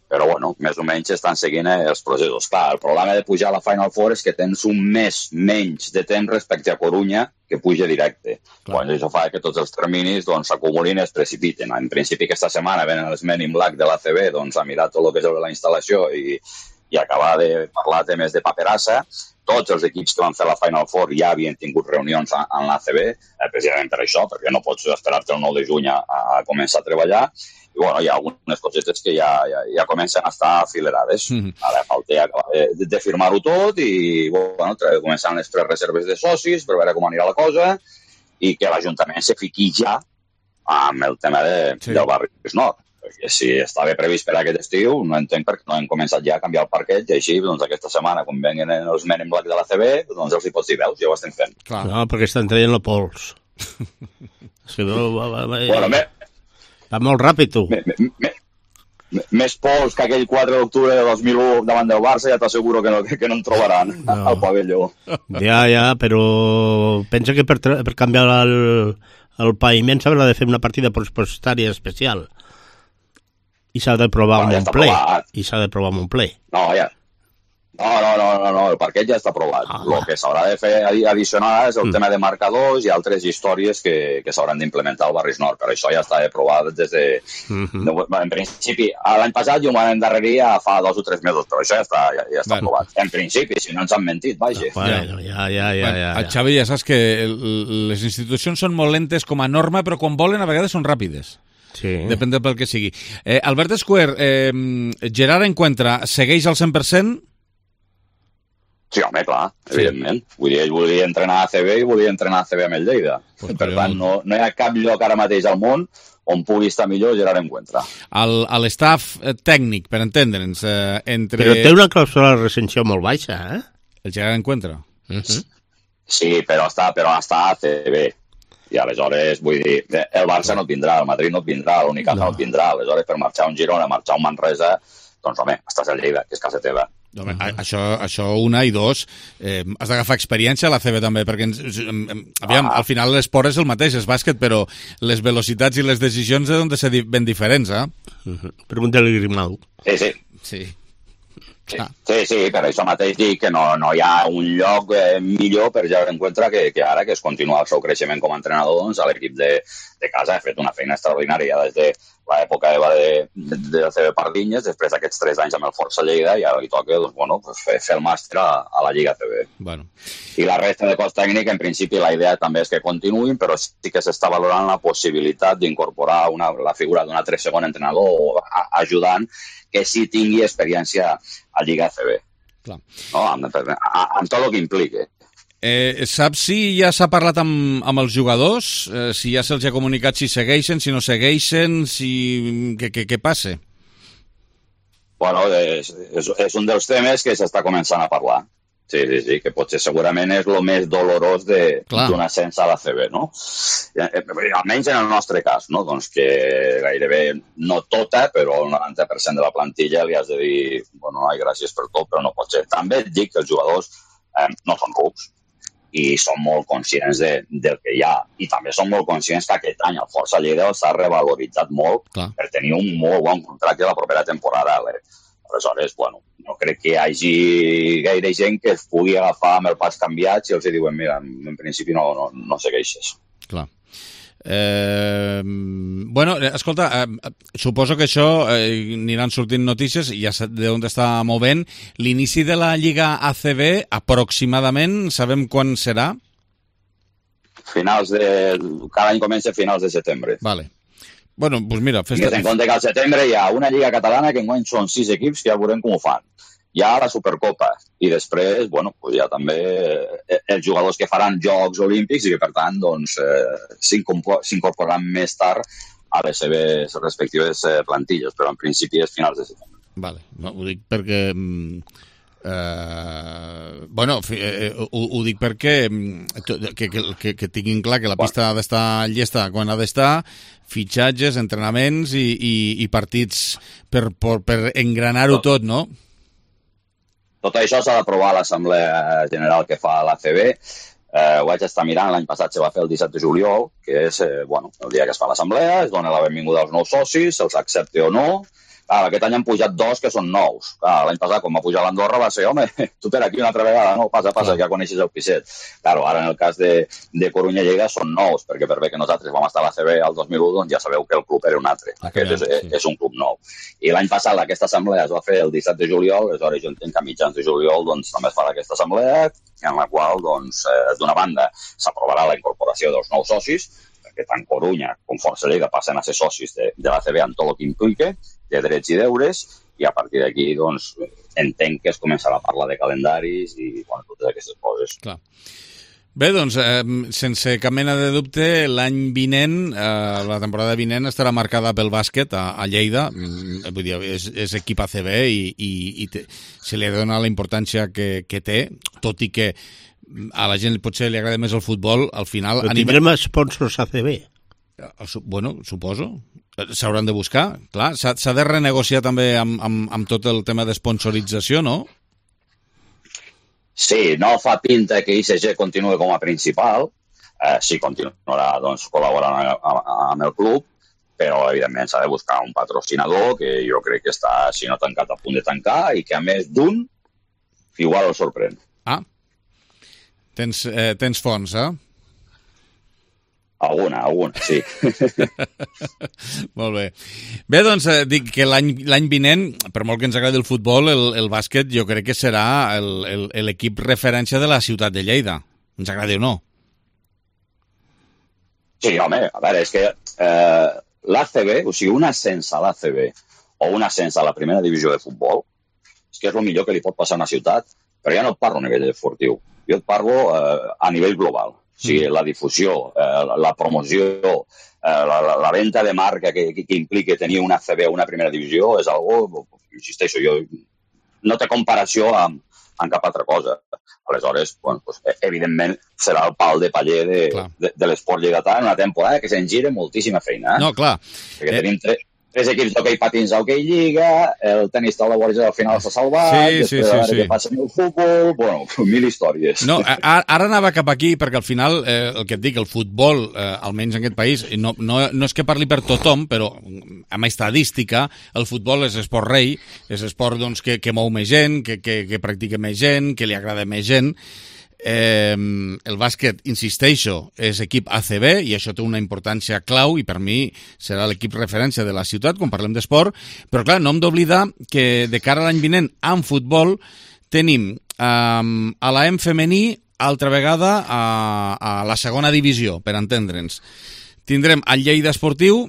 però, bueno, més o menys estan seguint els processos. Clar, el problema de pujar a la Final Four és que tens un mes menys de temps respecte a Corunya que puja directe. Bueno, això fa que tots els terminis s'acumulin i es precipiten. En principi, aquesta setmana venen els Men in Black de l'ACB a mirar tot el que és la instal·lació i acabar de parlar temes de paperassa. Tots els equips que van fer la Final Four ja havien tingut reunions en l'ACB, precisament per això, perquè no pots esperar-te el 9 de juny a començar a treballar. I, bueno, hi ha algunes cosetes que ja comencen a estar afilerades. Ara falta acabar de firmar-ho tot i, bueno, començant les prereserves de socis per veure com anirà la cosa i que l'Ajuntament se fiqui ja amb el tema del barri Nord. Perquè si estava previst per aquest estiu, no entenc per què no hem començat ja a canviar el parquet i així, aquesta setmana, quan venguen els Men in Black de l'ACB, els hi pots dir, veus, ja ho estem fent. No, perquè estan traient la pols. Si no, va molt ràpid, tu. més pols que aquell 4 d'octubre de 2001 davant del Barça, ja t'asseguro que no en trobaran al pavelló. Ja, però pensa que per canviar el paviment s'haurà de fer una partida pressupostària especial i s'ha de provar amb un ple. No, ja. No, el parquet ja està aprovat. El que s'haurà de fer addicional és el tema de marcadors i altres històries que s'hauran d'implementar al Barris Nord, però això ja està aprovat des de... En principi, l'any passat jo m'ho endarreria fa 2 o 3 mesos, però això ja està aprovat. En principi, si no ens han mentit, vaja. Ja. Xavi, ja saps que les institucions són molt lentes com a norma, però quan volen a vegades són ràpides. Sí. Depèn del que sigui. Albert Escuer, Gerard Encuentra, segueix al 100%? Sí, home, clar, evidentment. Vull dir, ell volia entrenar a ACB i volia entrenar a ACB amb el Lleida. Per tant, no hi ha cap lloc ara mateix al món on pugui estar millor Gerard Encuentra. A l'estaf tècnic, per entendre'ns, entre... Però té una clàusula de recensió molt baixa, eh? El Gerard Encuentra. Sí, però està a ACB. I aleshores, vull dir, el Barça no et vindrà, el Madrid no et vindrà, l'Unicaja no et vindrà. Aleshores, per marxar a un Girona, marxar a un Manresa, doncs, home, estàs a Lleida, que és casa teva. Això una, i dos, has d'agafar experiència a la CB també, perquè al final l'esport és el mateix, és bàsquet, però les velocitats i les decisions han de ser ben diferents, Pregunta-li a Grimau. Sí, per això mateix dic que no hi ha un lloc millor per Gerard Encuentra que ara, que es continua el seu creixement com a entrenador, doncs a l'equip de casa ha fet una feina extraordinària des de l'època de la CB Pardinyes, després d'aquests 3 anys amb el Força Lleida, i ara li toca fer el màster a la Lliga CB. I la resta de cos tècnic, en principi la idea també és que continuïn, però sí que s'està valorant la possibilitat d'incorporar la figura d'un altre segon entrenador ajudant que sí tingui experiència a Lliga CB. Amb tot el que implica. Saps si ja s'ha parlat amb els jugadors? Si ja se'ls ha comunicat si segueixen, si no segueixen, què passa? Bueno, és un dels temes que s'està començant a parlar. Sí, que potser segurament és el més dolorós d'un ascens a la CB, no? Almenys en el nostre cas, no? Doncs que gairebé, no tota, però el 90% de la plantilla li has de dir, bueno, gràcies per tot, però no pot ser. També et dic que els jugadors no són rucs i són molt conscients del que hi ha. I també són molt conscients que aquest any el Força Lleida s'ha revaloritzat molt per tenir un molt bon contracte la propera temporada. Aleshores, bueno, no crec que hi hagi gaire gent que es pugui agafar amb el pas canviat si els diuen, mira, en principi no segueixes. Clar. Bueno, escolta, suposo que això aniran sortint notícies, ja d'on està movent. L'inici de la Lliga ACB, aproximadament, sabem quan serà? Cada any comença a finals de setembre. Vale. Bueno, doncs mira... Ten en compte que al setembre hi ha una Lliga catalana que enguany són 6 equips que ja veurem com ho fan. Hi ha la Supercopa i després, bueno, hi ha també els jugadors que faran Jocs Olímpics i que, per tant, doncs, s'incorporaran més tard a les seves respectives plantilles, però en principi és finals de setembre. Vale, ho dic perquè... Bueno, ho dic perquè que tinguin clar que la pista ha d'estar llesta quan ha d'estar, fitxatges, entrenaments i partits per engranar-ho tot, no? Tot això s'ha d'aprovar a l'Assemblea General que fa l'ACB. Ho vaig estar mirant, l'any passat se va fer el 17 de juliol, que és el dia que es fa l'Assemblea, es dona la benvinguda als nous socis, se'ls accepta o no. Aquest any han pujat 2 que són nous. L'any passat, quan va pujar l'Andorra, va ser, home, tu per aquí una altra vegada, no? Passa, ja coneixes el piset. Ara, en el cas de Corunya Lleida són nous, perquè per bé que nosaltres vam estar a l'ACB el 2001, doncs ja sabeu que el club era un altre. Aquest és un club nou. I l'any passat aquesta assemblea es va fer el 17 de juliol, aleshores jo entenc que a mitjans de juliol doncs, també es farà aquesta assemblea, en la qual, doncs, d'una banda, s'aprovarà la incorporació dels nous socis, que tant Corunya com Força Lleida passen a ser socis de l'ACB amb tot el que implica, de drets i deures, i a partir d'aquí doncs, entenc que es començarà a parlar de calendaris i totes aquestes coses. Clar. Bé, doncs, sense cap mena de dubte, l'any vinent, la temporada vinent, estarà marcada pel bàsquet a Lleida. Vull dir, és equip ACB i se li dona la importància que té, tot i que a la gent potser li agrada més el futbol, al final... Però tindrem sponsors ACB? Bueno, suposo. S'hauran de buscar, clar. S'ha de renegociar també amb tot el tema d'esponsorització, no? Sí, no fa pinta que ICG continuï com a principal. Sí, continuarà doncs, col·laborant amb el club, però evidentment s'ha de buscar un patrocinador que jo crec que està, si no tancat, a punt de tancar i que a més d'un igual el sorprèn. Ah, tens fons, Alguna, sí. Molt bé. Bé, doncs, dic que l'any vinent, per molt que ens agradi el futbol, el bàsquet jo crec que serà l'equip referència de la ciutat de Lleida. Ens agradi o no? Sí, home, a veure, és que l'ACB, o sigui, un ascens a l'ACB o un ascens a la primera divisió de futbol, és que és el millor que li pot passar a una ciutat, però ja no et parlo a nivell esportiu, jo et parlo a nivell global. O sigui, la difusió, la promoció, la venda de marca que implica tenir una ACB o una primera divisió és algo, insisteixo, no té comparació amb cap altra cosa. Aleshores, bueno, pues, evidentment, serà el pal de paller de l'esport lleidatà en una temporada que se'n gira moltíssima feina. No, clar. Perquè tenim tres equips d'hoquei patins a hoquei lliga, el tenis taula al final s'ha salvat, després a veure què passa amb el futbol, bueno, 1000 històries. No, ara anava cap aquí, perquè al final, el que et dic, el futbol, almenys en aquest país, no és que parli per tothom, però amb estadística, el futbol és esport rei, és esport doncs, que mou més gent, que practica més gent, que li agrada més gent. El bàsquet, insisteixo, és equip ACB i això té una importància clau i per mi serà l'equip referència de la ciutat quan parlem d'esport, però clar, no hem d'oblidar que de cara a l'any vinent en futbol tenim a l'AM femení altra vegada a la segona divisió, per entendre'ns. Tindrem el Lleida Esportiu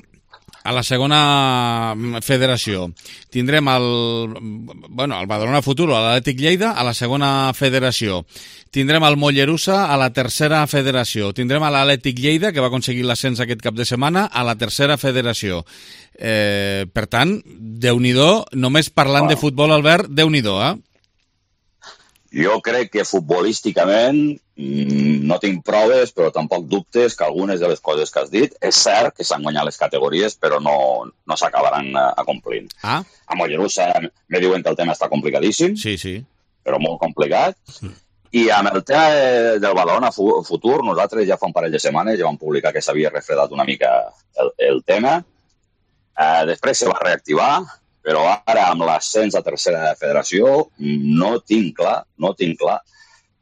a la segona federació. Tindrem el Badalona Futuro, a l'Atlètic Lleida, a la segona federació. Tindrem el Mollerussa a la tercera federació. Tindrem a l'Atlètic Lleida, que va aconseguir l'ascens aquest cap de setmana, a la tercera federació. Per tant, Déu-n'hi-do, només parlant de futbol, Albert, Déu-n'hi-do, Jo crec que futbolísticament no tinc proves, però tampoc dubtes que algunes de les coses que has dit és cert que s'han guanyat les categories, però no s'acabaran acomplint. A Mollerussa me diuen que el tema està complicadíssim, però molt complicat. I amb el tema del Badalona Futur, nosaltres ja fa un parell de setmanes ja vam publicar que s'havia refredat una mica el tema. Després se va reactivar, però ara amb l'ascens a tercera federació no tinc clar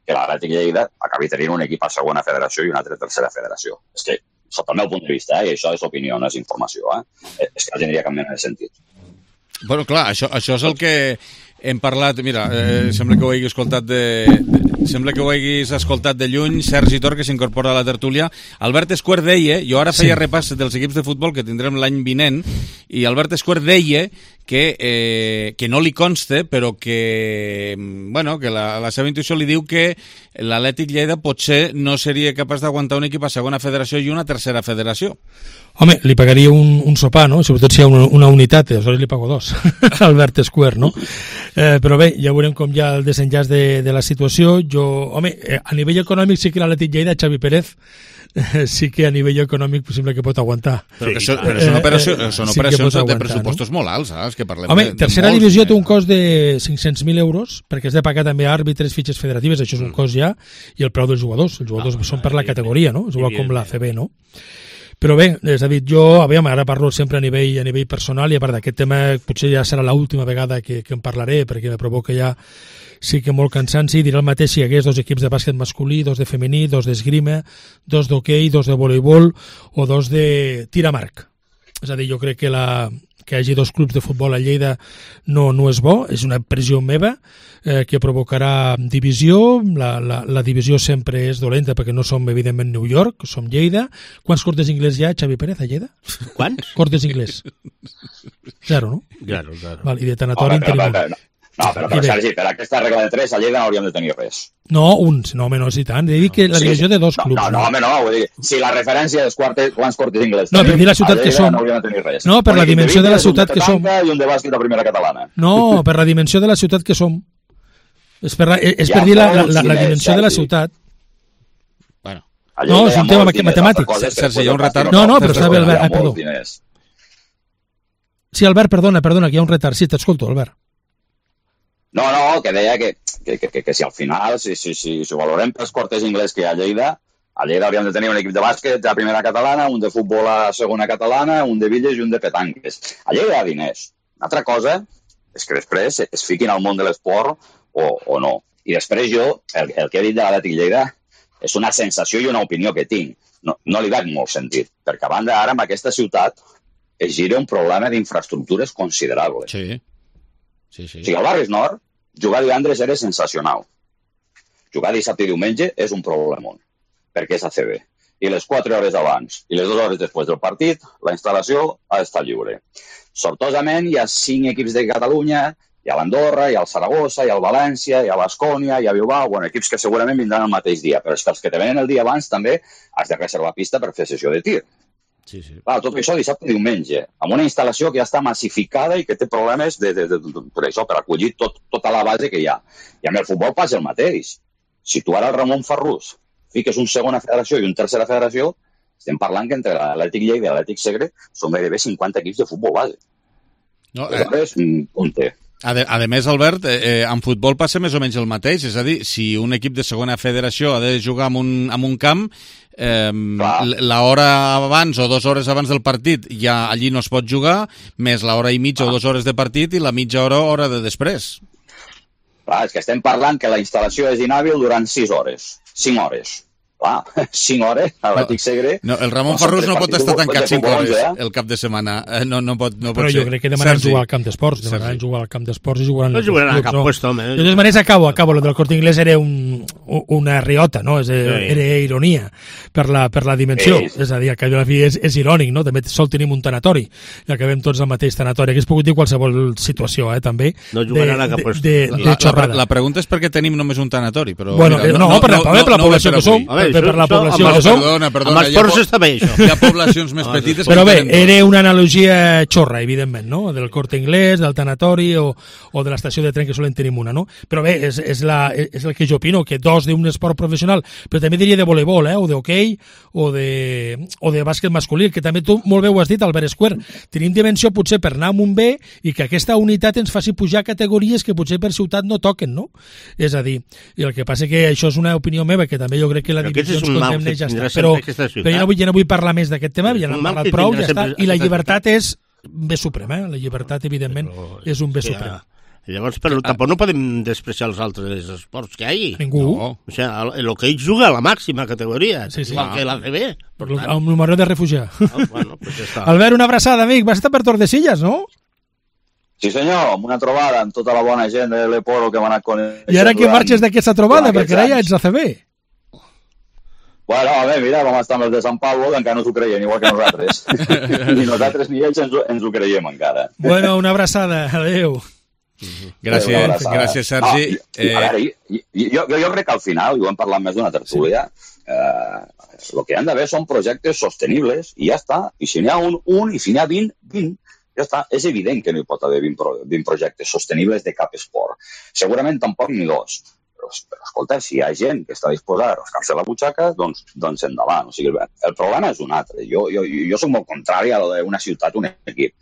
que l'Atlètic Lleida acabi tenint un equip a segona federació i un altre a tercera federació. És que, sota el meu punt de vista, i això és opinió, no és informació, és que no tindria cap mena de sentit. Bueno, clar, això és el que hem parlat, mira, sembla que ho hagis escoltat de lluny, Sergi Tor, que s'incorpora a la tertúlia. Albert Esquer deia, jo ara feia repàs dels equips de futbol que tindrem l'any vinent, i Albert Esquer deia que no li consta, però que la seva intuïció li diu que l'Atlètic Lleida potser no seria capaç d'aguantar un equip a segona federació i una tercera federació. Home, li pagaria un sopar, no? Sobretot si hi ha una unitat, aleshores li pago dos, Albert Esquer, no? Però bé, ja veurem com hi ha el desenllaç de la situació. A nivell econòmic sí que l'Atlètic Lleida, Xavi Pérez, sí que a nivell econòmic sembla que pot aguantar. Però són operacions de pressupostos molt alts, saps? Que parlem tercera divisió té un cost de 500.000 euros, perquè has de pagar també àrbitres, fitxes federatives, això és un cost ja, i el preu dels jugadors. Els jugadors són per la categoria, no? És igual com la CB, no? Però bé, és a dir, ara parlo sempre a nivell personal, i a part d'aquest tema potser ja serà l'última vegada que en parlaré, perquè me provoca ja sí que molt cansanci. Diré el mateix si hi hagués dos equips de bàsquet masculí, dos de femení, dos d'esgrima, dos d'hoquei, dos de voleibol o dos de tir amb arc. És a dir, jo crec que hi hagi dos clubs de futbol a Lleida no és bo, és una pressió meva que provocarà divisió. La divisió sempre és dolenta perquè no som, evidentment, New York, som Lleida. Quants cortes d'inglès hi ha, Xavi Pérez, a Lleida? Quants? Cortes d'inglès. 0, no? Zero. Val, i de tanatori en tenim. No, però Sergi, per aquesta regla de 3 a Lleida no hauríem de tenir res. No, és i tant. He dit que la divisió de dos clubs. No, vull dir, si la referència és quants cortes d'inglès no, per dir la ciutat que som. No hauríem de tenir res. No, per la dimensió de la ciutat que som. I un de bàsquet a primera catalana. No, per la dimensió de la ciutat que som. És per dir la dimensió de la ciutat. No, és un tema matemàtic. Sergi, hi ha un retard. No, però està bé, Albert, perdó. Sí, Albert, perdona, que hi ha un retard. Sí, t'escolto, Albert. No, que deia que si al final, si ho valorem pels quarters inglès que hi ha a Lleida hauríem de tenir un equip de bàsquet a primera catalana, un de futbol a segona catalana, un de bitlles i un de petanques. A Lleida hi ha diners. Una altra cosa és que després es fiquin al món de l'esport o no. I després jo, el que he dit de l'Atlètic Lleida és una sensació i una opinió que tinc. No li veig molt sentit, perquè a banda ara en aquesta ciutat es gira un problema d'infraestructures considerable. Sí. O sigui, al Barris Nord, jugar divendres era sensacional. Jugar dissabte i diumenge és un problemon, perquè és ACB. I les 4 hores abans i les 2 hores després del partit, la instal·lació ha d'estar lliure. Sortosament, hi ha 5 equips de Catalunya, hi ha l'Andorra, hi ha el Saragossa, hi ha el València, hi ha l'Ascònia, hi ha Bilbao, equips que segurament vindran el mateix dia, però és que els que te venen el dia abans també has de reservar pista per fer sessió de tir. Sí. Clar, tot això dissabte i diumenge, amb una instal·lació que ja està massificada i que té problemes per acollir tota la base que hi ha. I amb el futbol passa el mateix. Si tu ara el Ramon Farrús fiques un segona federació i un tercera federació, estem parlant que entre l'Atlètic Lleida i l'Atlètic Segre són gairebé 50 equips de futbol base. Aleshores, on té? A més, Albert, en futbol passa més o menys el mateix, és a dir, si un equip de segona federació ha de jugar en un camp, l'hora abans o 2 hores abans del partit ja allí no es pot jugar, més l'hora i mitja o 2 hores de partit i la mitja hora de després. Clar, és que estem parlant que la instal·lació és inhàbil durant 6 hores, 5 hores. Clar, 5 hores a l'Atlètic Segre... No, el Ramon Farrús no pot estar tancat 5 hores el cap de setmana. No pot però jo crec que demanaran jugar al camp d'esports. Demanaran jugar al camp d'esports i jugaran... No jugaran al camp puesto, home. De totes maneres, acabo. Lo del Corte Inglés era una riota, no? Era ironia per la dimensió. És a dir, al cap de la fi és irònic, no? També sol tenim un tanatori. I acabem tots al mateix tanatori. Hauria pogut dir qualsevol situació, també. No jugaran al camp puesto. De xorrada. La pregunta és per què tenim només un tanatori. Bueno, no, per la població que som. Per la població que som. Perdona, amb els ports està bé, això. Hi ha poblacions més petites... Però bé, era una analogia xorra, evidentment, no? Del Corte Inglés, del tanatori o de l'estació de tren, que solen tenir una, no? Però bé, és el que jo opino, que 2 d'un esport professional, però també diria de voleibol, o d'hoquei, o de bàsquet masculí, que també tu molt bé ho has dit, Albert Esquer. Tenim dimensió potser per anar amb un B i que aquesta unitat ens faci pujar categories que potser per ciutat no toquen, no? És a dir, i el que passa que això és una opinió meva, que també jo crec que la divisió ens condemna i ja està. Però jo no vull parlar més d'aquest tema, ja n'hem parlat prou, ja està. I la llibertat és bé suprem, La llibertat, evidentment, és un bé suprem. Llavors, però tampoc no podem despreciar els altres esports que hi ha. Ningú. O sigui, el que ell juga a la màxima categoria, igual que l'ACB. Amb el marró de refugiar. Bueno, pues ja està. Albert, una abraçada, amic. Vas estar per Tordesillas, no? Sí, senyor, amb una trobada amb tota la bona gent de l'Eporo que m'ha anat coneixent. I ara que marxes d'aquesta trobada, perquè ara ja ets ACB. Bueno, a veure, mira, vam estar amb els de Sant Pablo, que encara no s'ho creien, igual que nosaltres. Ni nosaltres ni ells ens ho creiem encara. Bueno, una abraçada, adeu. Gràcies, Sergi. A veure, jo crec que al final, i ho hem parlat més d'una tertúlia, el que han d'haver són projectes sostenibles, i ja està. I si n'hi ha un, i si n'hi ha 20, ja està. És evident que no hi pot haver 20 projectes sostenibles de cap esport. Segurament tampoc ni 2. Però escolta, si hi ha gent que està disposada a rascar-se la butxaca, doncs endavant. O sigui, el problema és un altre. Jo soc molt contrari a una ciutat, un equip.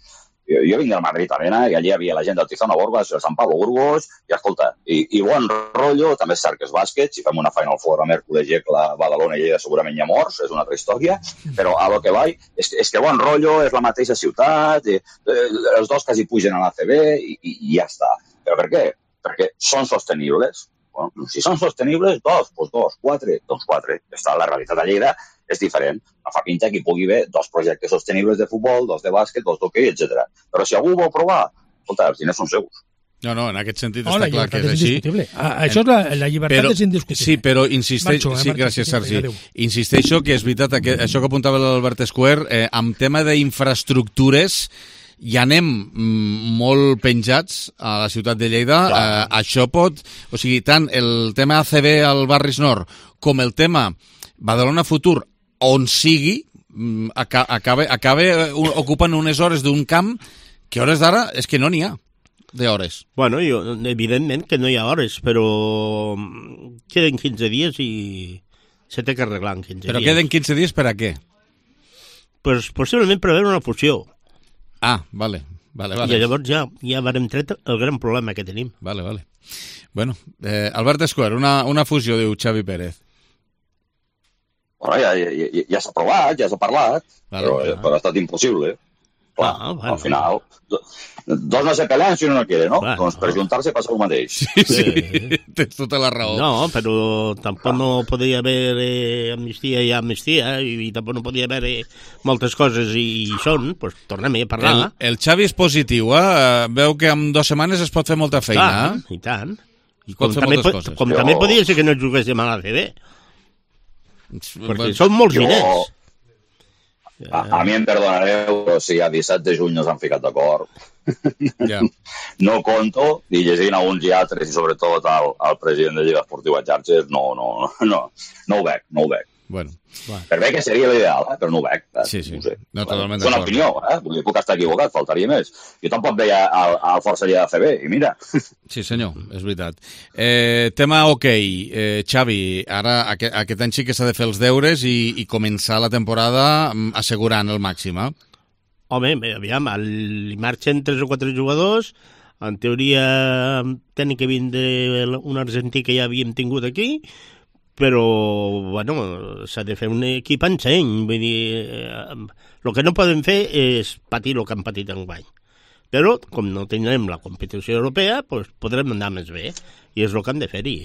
Jo vinc del Madrid Arena i allí hi havia la gent del Tizona Borges, el Sant Pablo Burgos, i escolta, i bon rotllo, també és cert que és bàsquet, si fem una Final Four a Mèrcoles, Gecla, Badalona i Lleida segurament hi ha morts, és una altra història, però a lo que vaig, és que bon rotllo, és la mateixa ciutat, els dos quasi pugen a l'ACB i ja està. Però per què? Perquè són sostenibles. Bueno, si són sostenibles, 2, doncs 2, 4, doncs 4. La realitat a Lleida és diferent. No fa pinta que hi pugui haver 2 projectes sostenibles de futbol, 2 de bàsquet, 2 d'hoquei, etc. Però si algú vol provar, escolta, els diners són seus. No, en aquest sentit està clar que és així. Això és la llibertat és indiscutible. Sí, però insisteixo... Sí, gràcies, Sergi. Insisteixo que és veritat, això que apuntava l'Albert Esquer, amb tema d'infraestructures, ja anem molt penjats a la ciutat de Lleida. Això pot... O sigui, tant el tema ACB al Barris Nord com el tema Badalona Futur, on sigui, acaba ocupant unes hores d'un camp que hores d'ara és que no n'hi ha d'hores. Bueno, evidentment que no hi ha hores, però queden 15 dies i se té que arreglar en 15 dies. Però queden 15 dies per a què? Pues possiblement per veure una fusió. Ah, vale. Vale. I llavors ja vam tret el gran problema que tenim. Vale. Bueno, Albert Escuer, una fusió, diu Xavi Pérez. Bueno, ja s'ha provat, ja s'ha parlat, però ha estat impossible. Clar, al final, dos no se pelean si uno no quiere, ¿no? Doncs per juntar-se passa el mateix. Sí, tens tota la raó. No, però tampoc no podia haver amnistia i amnistia, i tampoc no podia haver moltes coses i són, doncs tornem a parlar. El Xavi és positiu, veu que en 2 setmanes es pot fer molta feina. I tant. I pot fer moltes coses. Com també podia ser que no juguéssim a l'ACB. Perquè són molts diners. A mi em perdonareu, però si a 17 de juny no s'han ficat d'acord. No conto, i llegint a uns i altres, i sobretot al president de Lliga Esportiva Xarxes, no ho veig. Bueno. Per bé que seria l'ideal, però no ho veig. Sí. No sé. No, totalment és una opinió, puc estar equivocat, faltaria més. Jo tampoc veia al Força Lleida CB, i mira. Sí, senyor, és veritat. Tema Xavi, ara aquest any sí que s'ha de fer els deures i començar la temporada assegurant el màxim, Home, aviam, li marxen 3 o 4 jugadors, en teoria tenen que vindre un argentí que ja havíem tingut aquí, però, bueno, s'ha de fer un equip en seny. Vull dir, el que no podem fer és patir el que han patit enguany. Però, com no tindrem la competició europea, doncs podrem anar més bé. I és el que hem de fer-hi.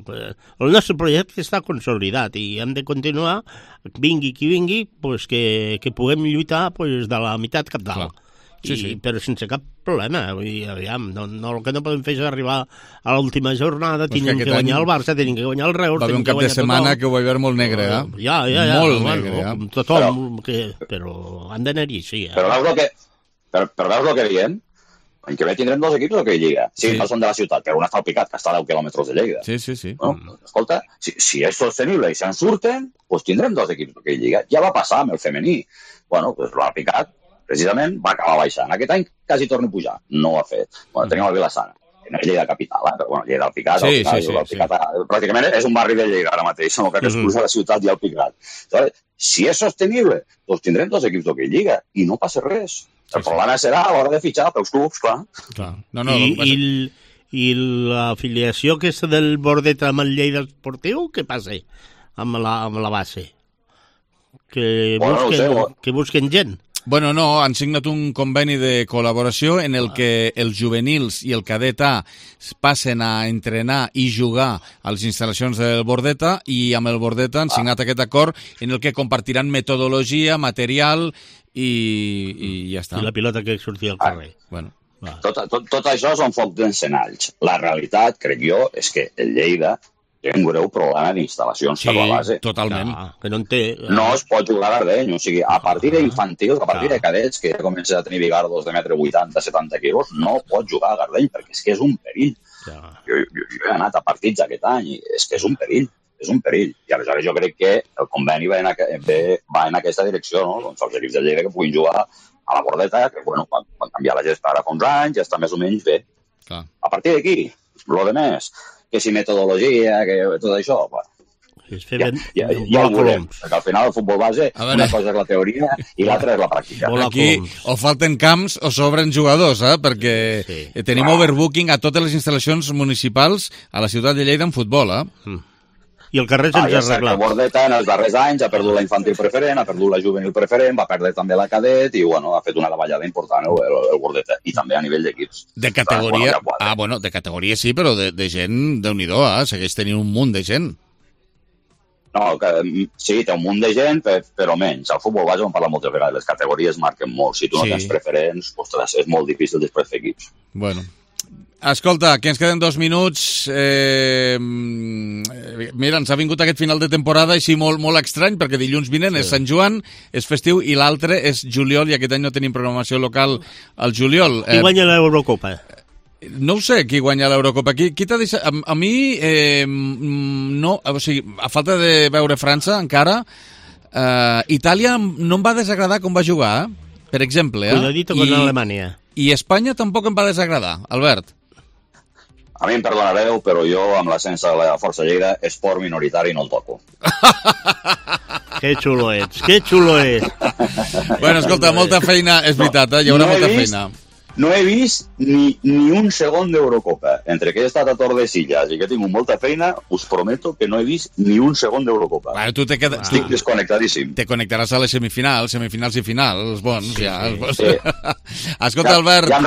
El nostre projecte està consolidat i hem de continuar, vingui qui vingui, doncs que puguem lluitar de la meitat cap dalt. Sí. Però sense cap problema. Vull dir, aviam, el que no podem fer és arribar a l'última jornada, tenen que guanyar el Barça, tenen que guanyar el Reus, va haver un cap de setmana que ho vaig veure molt negre, Ja. Molt negre, tothom, però han d'anar-hi, sí. Però veus el que diem? L'any que ve tindrem 2 equips d'hoquei Lliga. Sí, no són de la ciutat, però un està al Picat, que està a 10 quilòmetres de Lleida. Sí. Bueno, escolta, si és sostenible i se'n surten, doncs tindrem 2 equips d'hoquei Lliga. Ja va passar amb el femení. Bueno, doncs l'ha Picat, precisament, va acabar baixant. Aquest any quasi torna a pujar. No ho ha fet. Bueno, tenim el Vilassana. No és Lleida capital, però bueno, Lleida al Picat. El Picat pràcticament és un barri de Lleida ara mateix, no? Que expulsa la ciutat i el Picat. Si és sostenible, doncs tindrem 2 equips d'hoquei Lliga i no passa res. El problema serà a l'hora de fitxar pels clubs, clar. I l'afiliació aquesta del Bordet amb el Lleida Esportiu, què passa amb la base? Que busquen gent? Bueno, no, han signat un conveni de col·laboració en el que els juvenils i el cadet A passen a entrenar i jugar a les instal·lacions del Bordeta, i amb el Bordeta han signat aquest acord en el que compartiran metodologia, material i ja està. I la pilota que sortia al carrer. Bueno. Tot això són focs d'encenalls. La realitat, crec jo, és que el Lleida té un greu problema d'instal·lacions per la base. Totalment. Que no en té... No es pot jugar a Gardeny. O sigui, a partir d'infantils, a partir de cadets, que ja comença a tenir bigardos de 1,80 m, no pot jugar a Gardeny, perquè és que és un perill. Jo he anat a partits aquest any i és que és un perill. És un perill. I aleshores jo crec que el conveni va en aquesta direcció, no? Doncs els equips de Lleida que puguin jugar a la Bordeta, que, bueno, quan canviar la gesta ara fa uns anys, ja està més o menys bé. A partir d'aquí, lo de més, que si metodologia, que tot això, bueno, ja ho veurem. Perquè al final el futbol base, una cosa és la teoria i l'altra és la pràctica. Aquí o falten camps o sobren jugadors, perquè tenim overbooking a totes les instal·lacions municipals a la ciutat de Lleida en futbol, I el carrer sense arreglar. El Bordeta en els darrers anys ha perdut la infantil preferent, ha perdut la juvenil preferent, va perdre també la cadet i bueno, ha fet una davallada important el Bordeta, i també a nivell d'equips. De categoria, de categoria sí, però de gent, Déu-n'hi-do, segueix tenint un munt de gent. No, sí, té un munt de gent, però menys. Al futbol base on parla moltes vegades, les categories marquen molt. Si tu no tens preferents, ostres, és molt difícil després fer equips. Bueno. Escolta, que ens queden 2 minuts. Mira, ens ha vingut aquest final de temporada així molt estrany, perquè dilluns vinent és Sant Joan, és festiu, i l'altre és juliol, i aquest any no tenim programació local al juliol. Qui guanya l'Eurocopa? No ho sé, qui guanya l'Eurocopa. Qui t'ha deixat? A mi, no, o sigui, a falta de veure França, encara, Itàlia no em va desagradar com va jugar, per exemple. Cuidadito con Alemanya. I Espanya tampoc em va desagradar, Albert. A mi em perdonareu, però jo, amb l'ascens de la Força Lleida, esport minoritari no el toco. Que xulo ets, que xulo ets. Bueno, escolta, molta feina, és veritat, hi haurà molta feina. no he vist ni un segon d'Eurocopa. Entre que he estat a Tordesillas i que he tingut molta feina, us prometo que no he vist ni un segon d'Eurocopa. Bueno, tu estic desconnectadíssim. Te connectaràs a les semifinals i finals, els bons. Sí, ja, els bons. Sí. Escolta, Albert... Ja em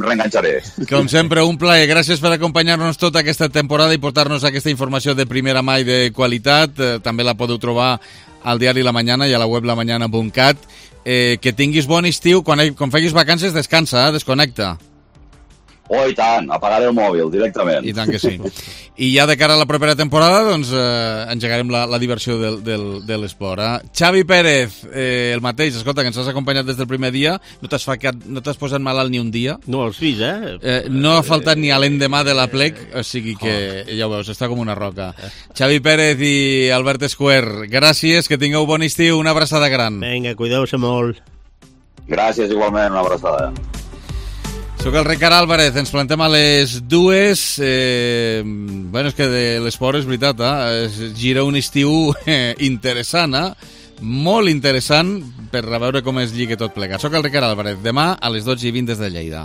reenganxaré. Com sempre, un plaer. Gràcies per acompanyar-nos tota aquesta temporada i portar-nos aquesta informació de primera mà i de qualitat. També la podeu trobar al diari La Mañana i a la web lamañana.cat. Que tinguis bon estiu. Quan facis vacances, descansa, desconnecta. Oh, i tant, apagaré el mòbil directament. I tant que sí. I ja de cara a la propera temporada, doncs, engegarem la diversió de l'esport. Xavi Pérez, el mateix, escolta, que ens has acompanyat des del primer dia, no t'has posat malalt ni un dia. No, els fills, no ha faltat ni a l'endemà de la plec, o sigui que, ja ho veus, està com una roca. Xavi Pérez i Albert Escuer, gràcies, que tingueu bon estiu, una abraçada gran. Vinga, cuideu-se molt. Gràcies, igualment, una abraçada. Soc el Ricard Álvarez, ens plantem a les 2. Bueno, és que de l'esport és veritat, gira un estiu interessant, molt interessant, per a veure com es lliga tot plegat. Soc el Ricard Álvarez, demà a les 12:20 des de Lleida.